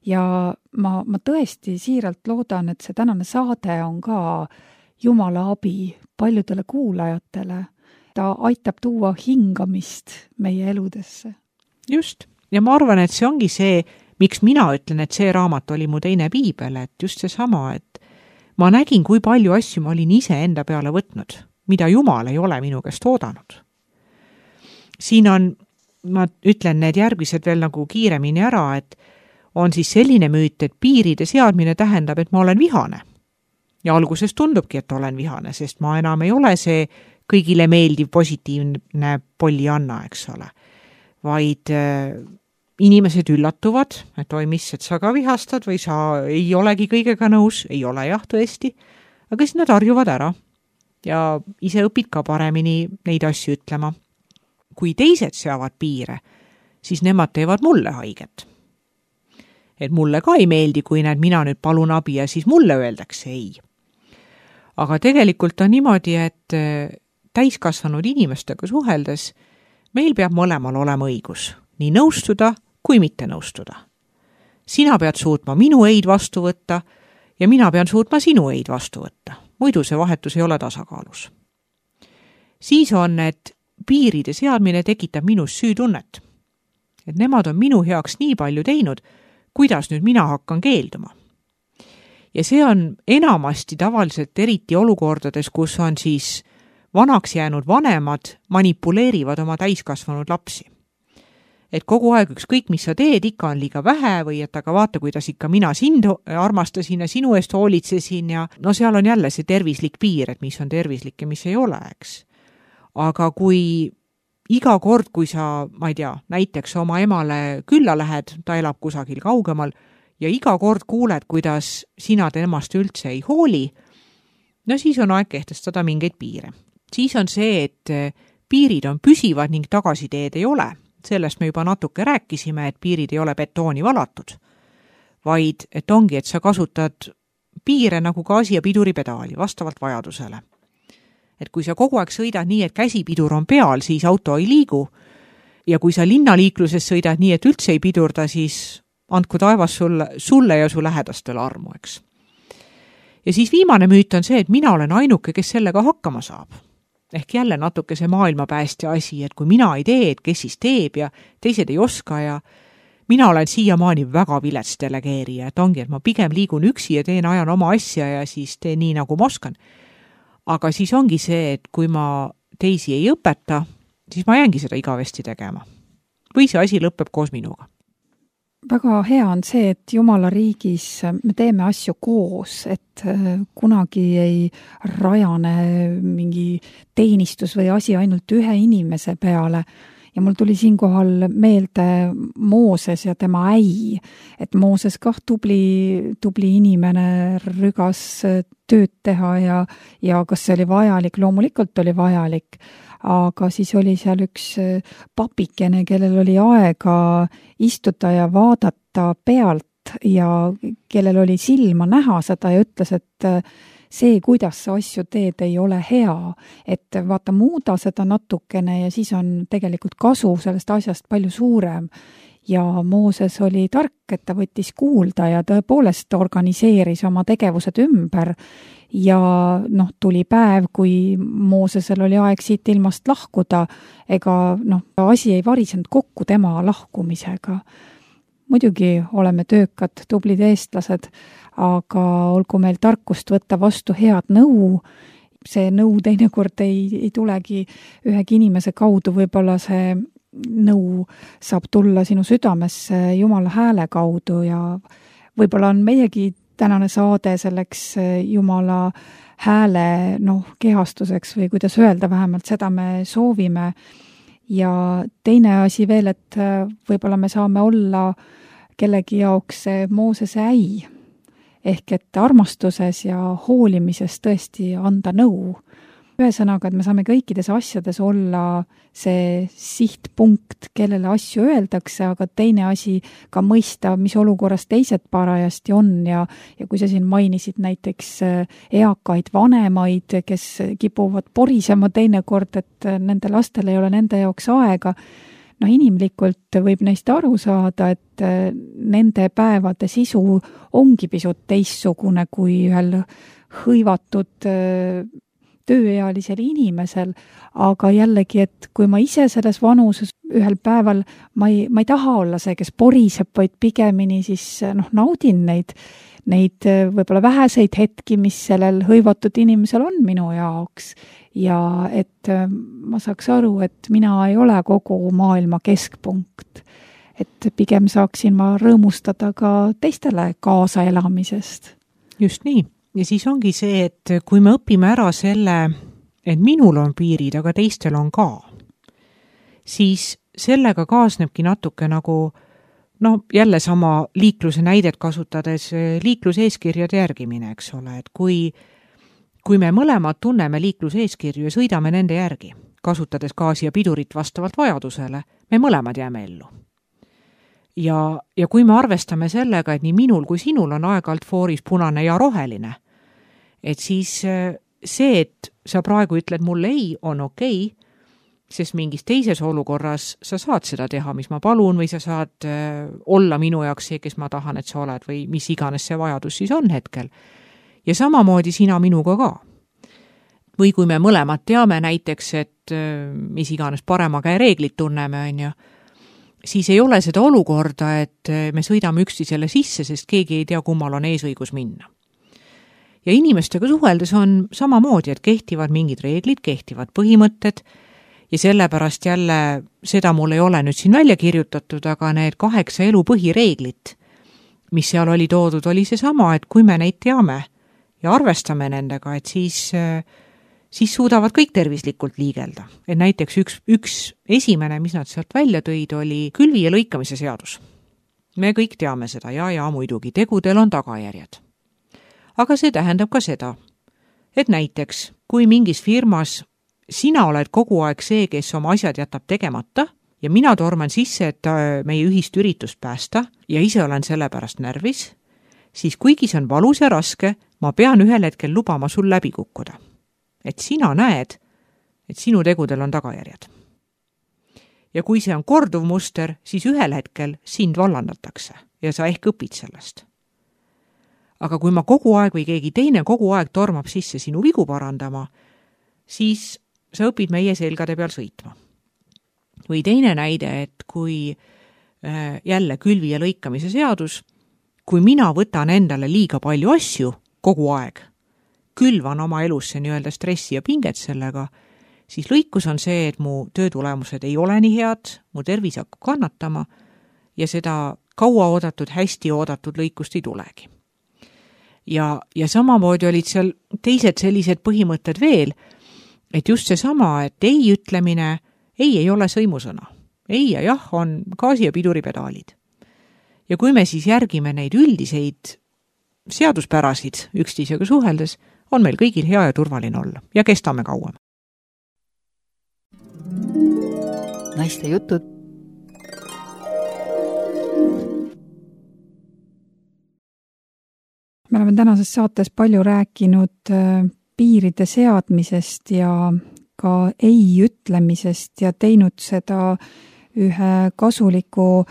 Speaker 1: Ja ma, ma tõesti siiralt loodan, et see tänane saade on ka Jumala abi paljudele kuulajatele. Ta aitab tuua hingamist meie eludesse.
Speaker 2: Just. Ja ma arvan, et see ongi see, miks mina ütlen, et see raamat oli mu teine piibel, et just see sama, et ma nägin, kui palju asju ma olin ise enda peale võtnud, mida Jumal ei ole minu käest oodanud. Siin on, ma ütlen need järgmised veel nagu kiiremini ära, et on siis selline müüt, et piiride seadmine tähendab, et ma olen vihane. Ja alguses tundubki, et olen vihane, sest ma enam ei ole see kõigile meeldiv positiivne Pollianna, eks ole. Vaid äh, inimesed üllatuvad, et oi, mis, et sa ka vihastad või sa ei olegi kõigega nõus, ei ole jah tõesti, aga siis nad harjuvad ära ja ise õpid ka paremini neid asju ütlema. Kui teised seavad piire, siis nemad teevad mulle haiget. Et mulle ka ei meeldi, kui näed, mina nüüd palun abi ja siis mulle öeldakse ei. Aga tegelikult on niimoodi, et täiskasvanud inimestega suheldes meil peab mõlemal olema õigus, nii nõustuda kui mitte nõustuda. Sina pead suutma minu eid vastu võtta ja mina pean suutma sinu eid vastu võtta. Muidu see vahetus ei ole tasakaalus. Siis on, et piiride seadmine tekitab minus süütunnet. Et nemad on minu heaks nii palju teinud, kuidas nüüd mina hakkan keelduma. Ja see on enamasti tavaliselt eriti olukordades, kus on siis vanaks jäänud vanemad manipuleerivad oma täiskasvanud lapsi. Et kogu aeg ükskõik, mis sa teed, ikka on liiga vähe või et aga vaata, kuidas ikka mina sind armastasin ja sinu eest hoolitsesin ja no seal on jälle see tervislik piir, et mis on tervislik ja mis ei ole, eks. Aga kui iga kord, kui sa, ma ei tea, näiteks oma emale külla lähed, ta elab kusagil kaugemal ja iga kord kuuled, kuidas sina temast üldse ei hooli, no siis on aeg kehtestada mingeid piire. Siis on see, et piirid on püsivad ning tagasiteed ei ole. Sellest me juba natuke rääkisime, et piirid ei ole betooni valatud, vaid et ongi, et sa kasutad piire nagu gaasi- ja piduripedaali vastavalt vajadusele. Et kui sa kogu aeg sõidad nii, et käsipidur on peal, siis auto ei liigu ja kui sa linnaliikluses sõidad nii, et üldse ei pidurda, siis andku taevas sulle, sulle ja su lähedastele armu, eks. Ja siis viimane müüt on see, et mina olen ainuke, kes sellega hakkama saab. Ehk jälle natuke see maailmapäästja asi, et kui mina ei tee, et kes siis teeb ja teised ei oska ja mina olen siiamaani väga vilets delegeerija, et ongi, et ma pigem liigun üksi ja teen ajan oma asja ja siis teen nii, nagu ma oskan. Aga siis ongi see, et kui ma teisi ei õpeta, siis ma jäängi seda igavesti tegema. Või see asi lõpeb koos minuga.
Speaker 1: Väga hea on see, et Jumala riigis me teeme asju koos, et kunagi ei rajane mingi teenistus või asi ainult ühe inimese peale. Ja mul tuli siinkohal meelde Mooses ja tema äi, et Mooses kah tubli, tubli inimene rügas tööd teha ja, ja kas see oli vajalik, loomulikult oli vajalik. Aga siis oli seal üks papikene, kellel oli aega istuda ja vaadata pealt ja kellel oli silma näha seda ja ütles, et see, kuidas sa asju teed, ei ole hea. Et vaata, muuda seda natukene ja siis on tegelikult kasu sellest asjast palju suurem. Ja Mooses oli tark, et ta võttis kuulda ja tõepoolest organiseeris oma tegevused ümber. Ja noh, tuli päev, kui Moosesel oli aeg siit ilmast lahkuda, ega noh, asi ei varisenud kokku tema lahkumisega. muidugi oleme töökad, tublid eestlased, aga olgu meil tarkust võtta vastu head nõu, see nõu teinekord ei, ei tulegi ühegi inimese kaudu, võib-olla see nõu saab tulla sinu südamesse Jumala hääle kaudu ja võib-olla on meiegi tänane saade selleks Jumala hääle noh, kehastuseks või kuidas öelda, vähemalt seda me soovime. Ja teine asi veel, et võib-olla me saame olla kellegi jaoks see Moosese äi, ehk et armastuses ja hoolimises tõesti anda nõu. Ühesõnaga, et me saame kõikides asjades olla see sihtpunkt, kellele asju öeldakse, aga teine asi ka mõista, mis olukorras teised parajasti on ja, ja kui sa siin mainisid näiteks eakaid vanemaid, kes kipuvad porisema teinekord, et nende lastel ei ole nende jaoks aega, noh inimlikult võib neist aru saada, et nende päevade sisu ongi pisut teistsugune kui ühel hõivatud tööealisel inimesel, aga jällegi, et kui ma ise selles vanuses ühel päeval, ma ei, ma ei taha olla see, kes poriseb, vaid pigemini siis noh, naudin neid, neid võib-olla väheseid hetki, mis sellel hõivatud inimesel on minu jaoks ja et ma saaks aru, et mina ei ole kogu maailma keskpunkt. Et pigem saaksin ma rõõmustada ka teistele kaasaelamisest.
Speaker 2: Just nii. Ja siis ongi see, et kui me õpime ära selle, et minul on piirid, aga teistel on ka, siis sellega kaasnebki natuke nagu, no jälle sama liikluse näidet kasutades, liikluseeskirjade järgimine, eks ole, et kui, kui me mõlemad tunneme liikluseeskirju ja sõidame nende järgi, kasutades gaasi ja pidurit vastavalt vajadusele, me mõlemad jääme ellu. Ja, ja kui me arvestame sellega, et nii minul kui sinul on aeg-alt fooris punane ja roheline, et siis see, et sa praegu ütled mulle ei, on okei, sest mingis teises olukorras sa saad seda teha, mis ma palun, või sa saad olla minu jaoks see, kes ma tahan, et sa oled, või mis iganes see vajadus siis on hetkel. Ja samamoodi sina minuga ka. Või kui me mõlemad teame näiteks, et mis iganes parema käe reeglid tunneme, on ju, siis ei ole seda olukorda, et me sõidame üksteisele sisse, sest keegi ei tea, kummal on eesõigus minna. Ja inimestega suheldes on samamoodi, et kehtivad mingid reeglid, kehtivad põhimõtted ja sellepärast jälle seda mul ei ole nüüd siin välja kirjutatud, aga need kaheksa elu põhireeglit, mis seal oli toodud, oli see sama, et kui me neid teame ja arvestame nendega, et siis, siis suudavad kõik tervislikult liigelda. Et näiteks üks, üks esimene, mis nad sealt välja tõid, oli külvi ja lõikamise seadus. Me kõik teame seda ja, ja muidugi tegudel on tagajärjed. Aga see tähendab ka seda, et näiteks, kui mingis firmas sina oled kogu aeg see, kes oma asjad jätab tegemata ja mina torman sisse, et meie ühist üritust päästa ja ise olen selle pärast närvis, siis kuigi see on valus ja raske, ma pean ühel hetkel lubama sul läbi kukkuda. Et sina näed, et sinu tegudel on tagajärjed. Ja kui see on korduv muster, siis ühel hetkel sind vallandatakse ja sa ehk õpid sellest. Aga kui ma kogu aeg või keegi teine kogu aeg tormab sisse sinu vigu parandama, siis sa õpid meie selgade peal sõitma. Või teine näide, et kui äh, jälle külvi ja lõikamise seadus, kui mina võtan endale liiga palju asju kogu aeg, külvan oma elusse nii-öelda stressi ja pinget sellega, siis lõikus on see, et mu töötulemused ei ole nii head, mu tervis hakkab kannatama ja seda kaua oodatud, hästi oodatud lõikust ei tulegi. Ja, ja samamoodi olid seal teised sellised põhimõtted veel, et just see sama, et ei ütlemine, ei ei ole sõimusõna. Ei ja jah on gaasi ja piduripedaalid. Ja kui me siis järgime neid üldiseid seaduspärasid üksteisega suheldes, on meil kõigil hea ja turvaline olla ja kestame kauem.
Speaker 3: Naiste jutud.
Speaker 1: Me oleme tänases saates palju rääkinud piiride seadmisest ja ka ei ütlemisest ja teinud seda ühe kasuliku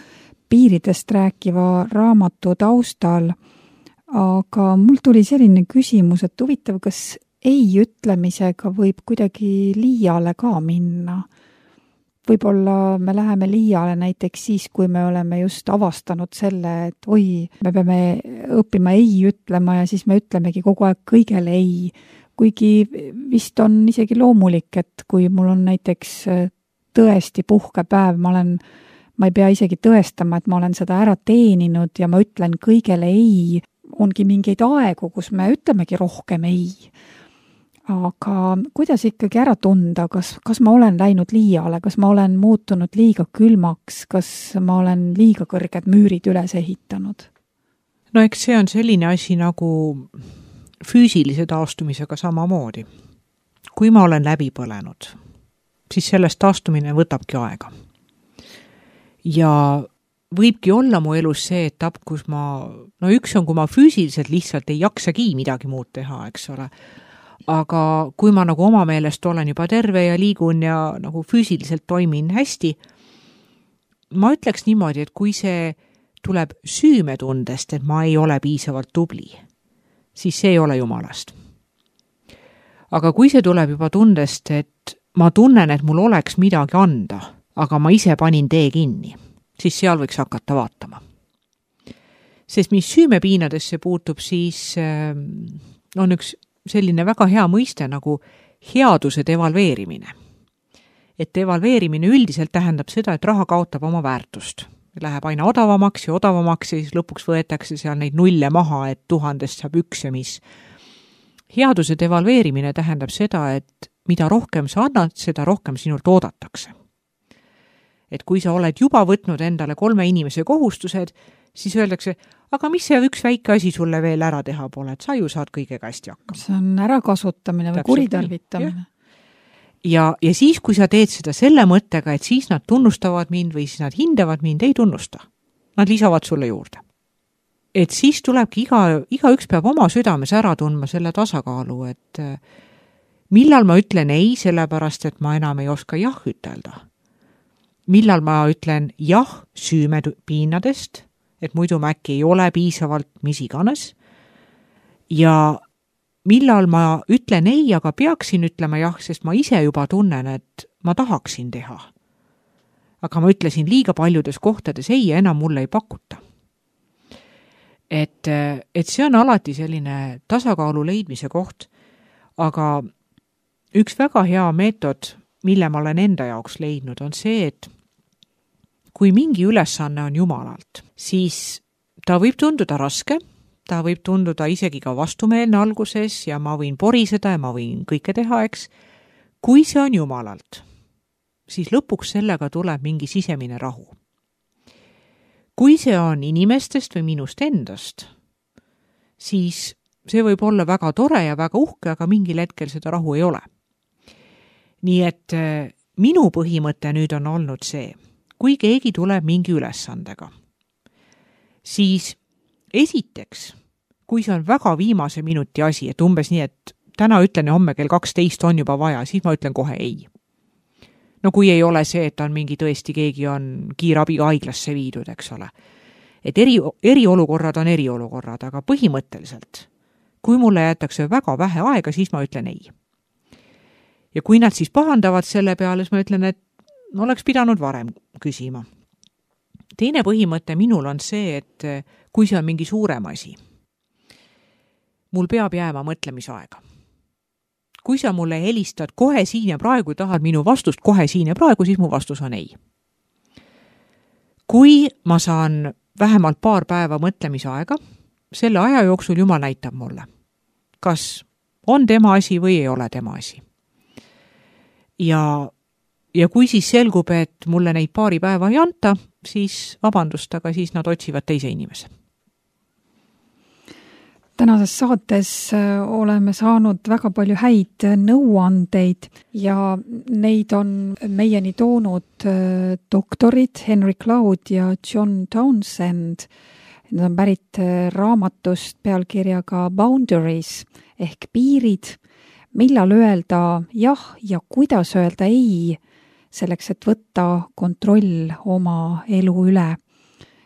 Speaker 1: piiridest rääkiva raamatu taustal. Aga mul tuli selline küsimus, et huvitav, kas ei ütlemisega võib kuidagi liiale ka minna? võib-olla me läheme liiale näiteks siis, kui me oleme just avastanud selle, et oi, me peame õppima ei ütlema ja siis me ütlemegi kogu aeg kõigele ei. Kuigi vist on isegi loomulik, et kui mul on näiteks tõesti puhkepäev, ma olen, ma ei pea isegi tõestama, et ma olen seda ära teeninud ja ma ütlen kõigele ei, ongi mingeid aegu, kus me ütlemegi rohkem ei. Aga kuidas ikkagi ära tunda, kas, kas ma olen läinud liiale, kas ma olen muutunud liiga külmaks, kas ma olen liiga kõrged müürid üles ehitanud?
Speaker 2: No eks see on selline asi nagu füüsilise taastumisega samamoodi. Kui ma olen läbi põlenud, siis sellest taastumine võtabki aega. Ja võibki olla mu elus see etapp, kus ma, no üks on, kui ma füüsiliselt lihtsalt ei jaksagi midagi muud teha, eks ole. Aga kui ma nagu oma meelest olen juba terve ja liigun ja nagu füüsiliselt toimin hästi, ma ütleks niimoodi, et kui see tuleb süümetundest, et ma ei ole piisavalt tubli, siis see ei ole jumalast. Aga kui see tuleb juba tundest, et ma tunnen, et mul oleks midagi anda, aga ma ise panin tee kinni, siis seal võiks hakata vaatama. Sest mis süümepiinadesse puutub, siis on üks selline väga hea mõiste nagu headuse devalveerimine. Et devalveerimine üldiselt tähendab seda, et raha kaotab oma väärtust. Läheb aina odavamaks ja odavamaks ja siis lõpuks võetakse seal neid nulle maha, et tuhandest saab üks ja mis. Headuse devalveerimine tähendab seda, et mida rohkem sa annad, seda rohkem sinult oodatakse. Et kui sa oled juba võtnud endale kolme inimese kohustused, siis öeldakse, aga mis see üks väike asi sulle veel ära teha pole, et sa ju saad kõigega hästi hakkama.
Speaker 1: See on ärakasutamine või kuritarvitamine.
Speaker 2: Ja, ja siis, kui sa teed seda selle mõttega, et siis nad tunnustavad mind või siis nad hindavad mind, ei tunnusta. Nad lisavad sulle juurde. Et siis tulebki iga, iga üks peab oma südames ära tundma selle tasakaalu, et millal ma ütlen ei, sellepärast, et ma enam ei oska jah ütelda. Millal ma ütlen jah süümepiinadest, et muidu ma äkki ei ole piisavalt mis iganes. Ja millal ma ütlen ei, aga peaksin ütlema jah, sest ma ise juba tunnen, et ma tahaksin teha. Aga ma ütlesin liiga paljudes kohtades ei ja enam mulle ei pakuta. Et, et see on alati selline tasakaalu leidmise koht, aga üks väga hea meetod, mille ma olen enda jaoks leidnud, on see, et kui mingi ülesanne on jumalalt, siis ta võib tunduda raske, ta võib tunduda isegi ka vastumeelne alguses ja ma võin poriseda ja ma võin kõike teha, eks. Kui see on jumalalt, siis lõpuks sellega tuleb mingi sisemine rahu. Kui see on inimestest või minust endast, siis see võib olla väga tore ja väga uhke, aga mingil hetkel seda rahu ei ole. Nii et minu põhimõte nüüd on olnud see, kui keegi tuleb mingi ülesandega, siis esiteks, kui see on väga viimase minuti asi, et umbes nii, et täna ütlen ja homme kell kaksteist on juba vaja, siis ma ütlen kohe ei. No kui ei ole see, et on mingi tõesti keegi on kiirabiga haiglasse viidud, eks ole. Et eri, eriolukorrad on eriolukorrad, aga põhimõtteliselt, kui mulle jäetakse väga vähe aega, siis ma ütlen ei. Ja kui nad siis pahandavad selle peale, siis ma ütlen, et oleks pidanud varem küsima. Teine põhimõte minul on see, et kui see on mingi suurem asi, mul peab jääma mõtlemisaega. Kui sa mulle helistad kohe siin ja praegu tahad minu vastust kohe siin ja praegu, siis mu vastus on ei. Kui ma saan vähemalt paar päeva mõtlemisaega, selle aja jooksul Jumal näitab mulle, kas on tema asi või ei ole tema asi. Ja Ja kui siis selgub, et mulle neid paari päeva ei anta, siis vabandust, aga siis nad otsivad teise inimese.
Speaker 1: Tänases saates oleme saanud väga palju häid nõuandeid ja neid on meieni toonud doktorid Henry Cloud ja John Townsend. Need on pärit raamatust pealkirjaga Boundaries ehk piirid, millal öelda jah ja kuidas öelda ei, selleks, et võtta kontroll oma elu üle.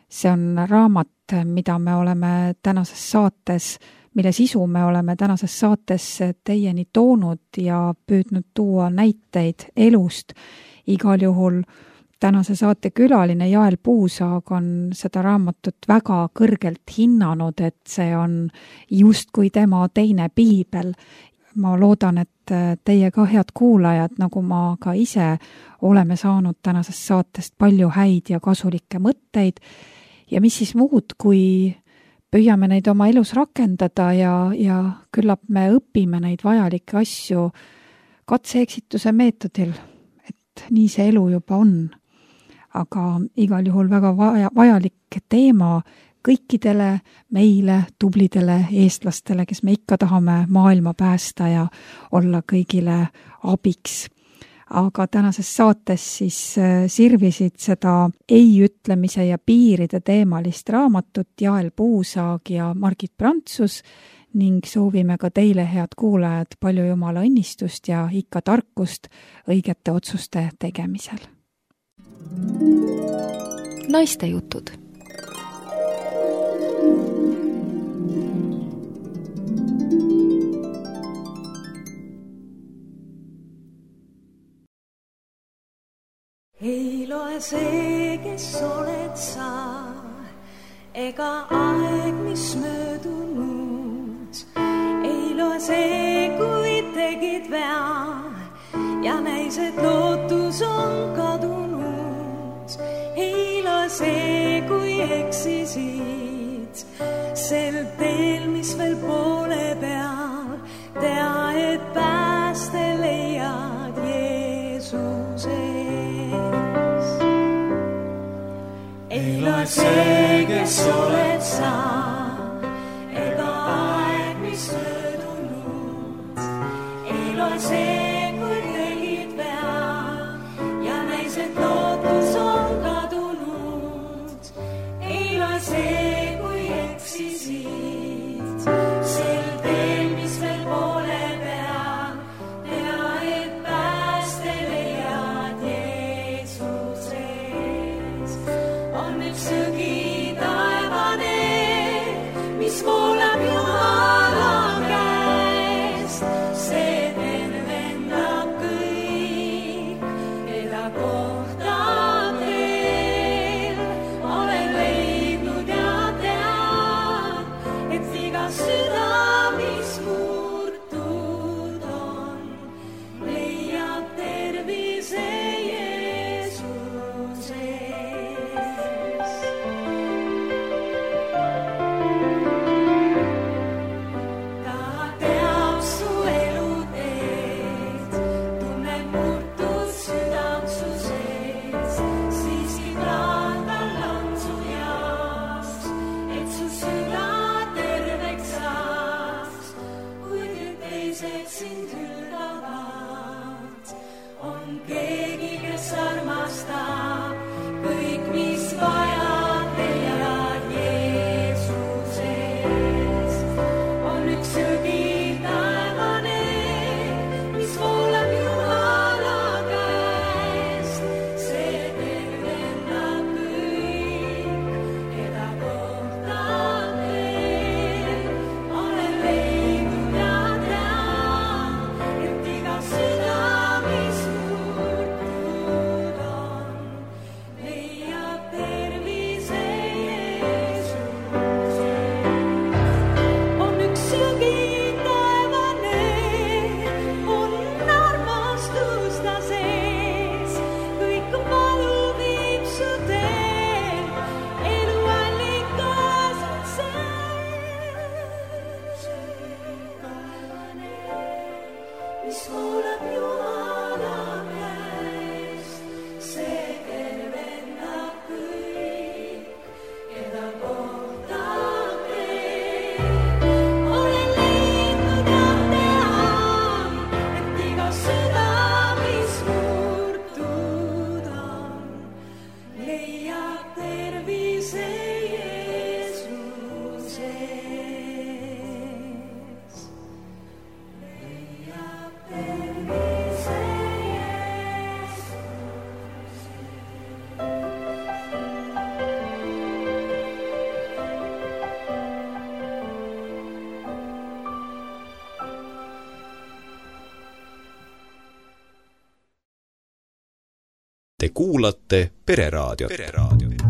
Speaker 1: See on raamat, mida me oleme tänases saates, mille sisu me oleme tänases saates teieni toonud ja püüdnud tuua näiteid elust igal juhul tänase saate külaline Jael Puusaag on seda raamatut väga kõrgelt hinnanud, et see on justkui tema teine piibel. Ma loodan, et teie ka head kuulajad, nagu ma ka ise, oleme saanud tänasest saatest palju häid ja kasulikke mõtteid ja mis siis muud, kui püüame neid oma elus rakendada ja, ja küllap me õpime neid vajalikke asju katse-eksituse meetodil, et nii see elu juba on. Aga igal juhul väga vaja, vajalik teema kõikidele meile, tublidele eestlastele, kes me ikka tahame maailma päästa ja olla kõigile abiks. Aga tänases saates siis sirvisid seda ei ütlemise ja piiride teemalist raamatut Jael Puusaag ja Margit Prantsus ning soovime ka teile, head kuulajad, palju Jumala õnnistust ja ikka tarkust õigete otsuste tegemisel.
Speaker 3: Naiste jutud.
Speaker 4: Ei loe see, kes oled sa, ega aeg, mis möödunud. Ei loe see, kui tegid vea ja näis, et lootus on kadunud. Ei loe see, kui eksisid sel teel, mis veel poole peal. Tea, et pääste leiad Jeesuse. Ei loe see, kes oled sa, ega aeg, mis möödunud. Ei loe see, kui tegid vea ja näis, et lootus on kadunud. Ei loe see, kui eksisid sel teel, mis veel poole peal. Tea, et pääste leiad Jeesuses. On üks sõgi taevane, mis voolab Jumala käest. See tervendab kõik, keda kohtab veel. Olen leidnud ja tean, et iga süda, mis murtud on, leiab tervise Jeesuses. Ta teab su eluteed, tunneb murtud südamsu sees. Siiski praadal on su jaoks, et su süda terveks saaks. Kuid teised sind hülgavad, on keegi, kes armastab. Kõik, mis vajad, leiad Jeesuses. On üks sõgi taevane, mis voolab Jumala käest. See tervendab kõik, keda kohtab veel. Olen leidnud ja tean, et iga süda, mis murtud on, leiab tervise Jeesuses. On üks sõgi taevane, on armastus ta sees. Kõik valu viib su teel, eluallikas on see. Taevane, mis voolab Jumala käest. See tervendab kõik, keda kohtab veel. Olen leidnud ja tean, et iga süda, mis murtud on, leiab tervise Jeesuses. Leiab tervise
Speaker 5: Te kuulate Pereraadiot. Pereraadiot.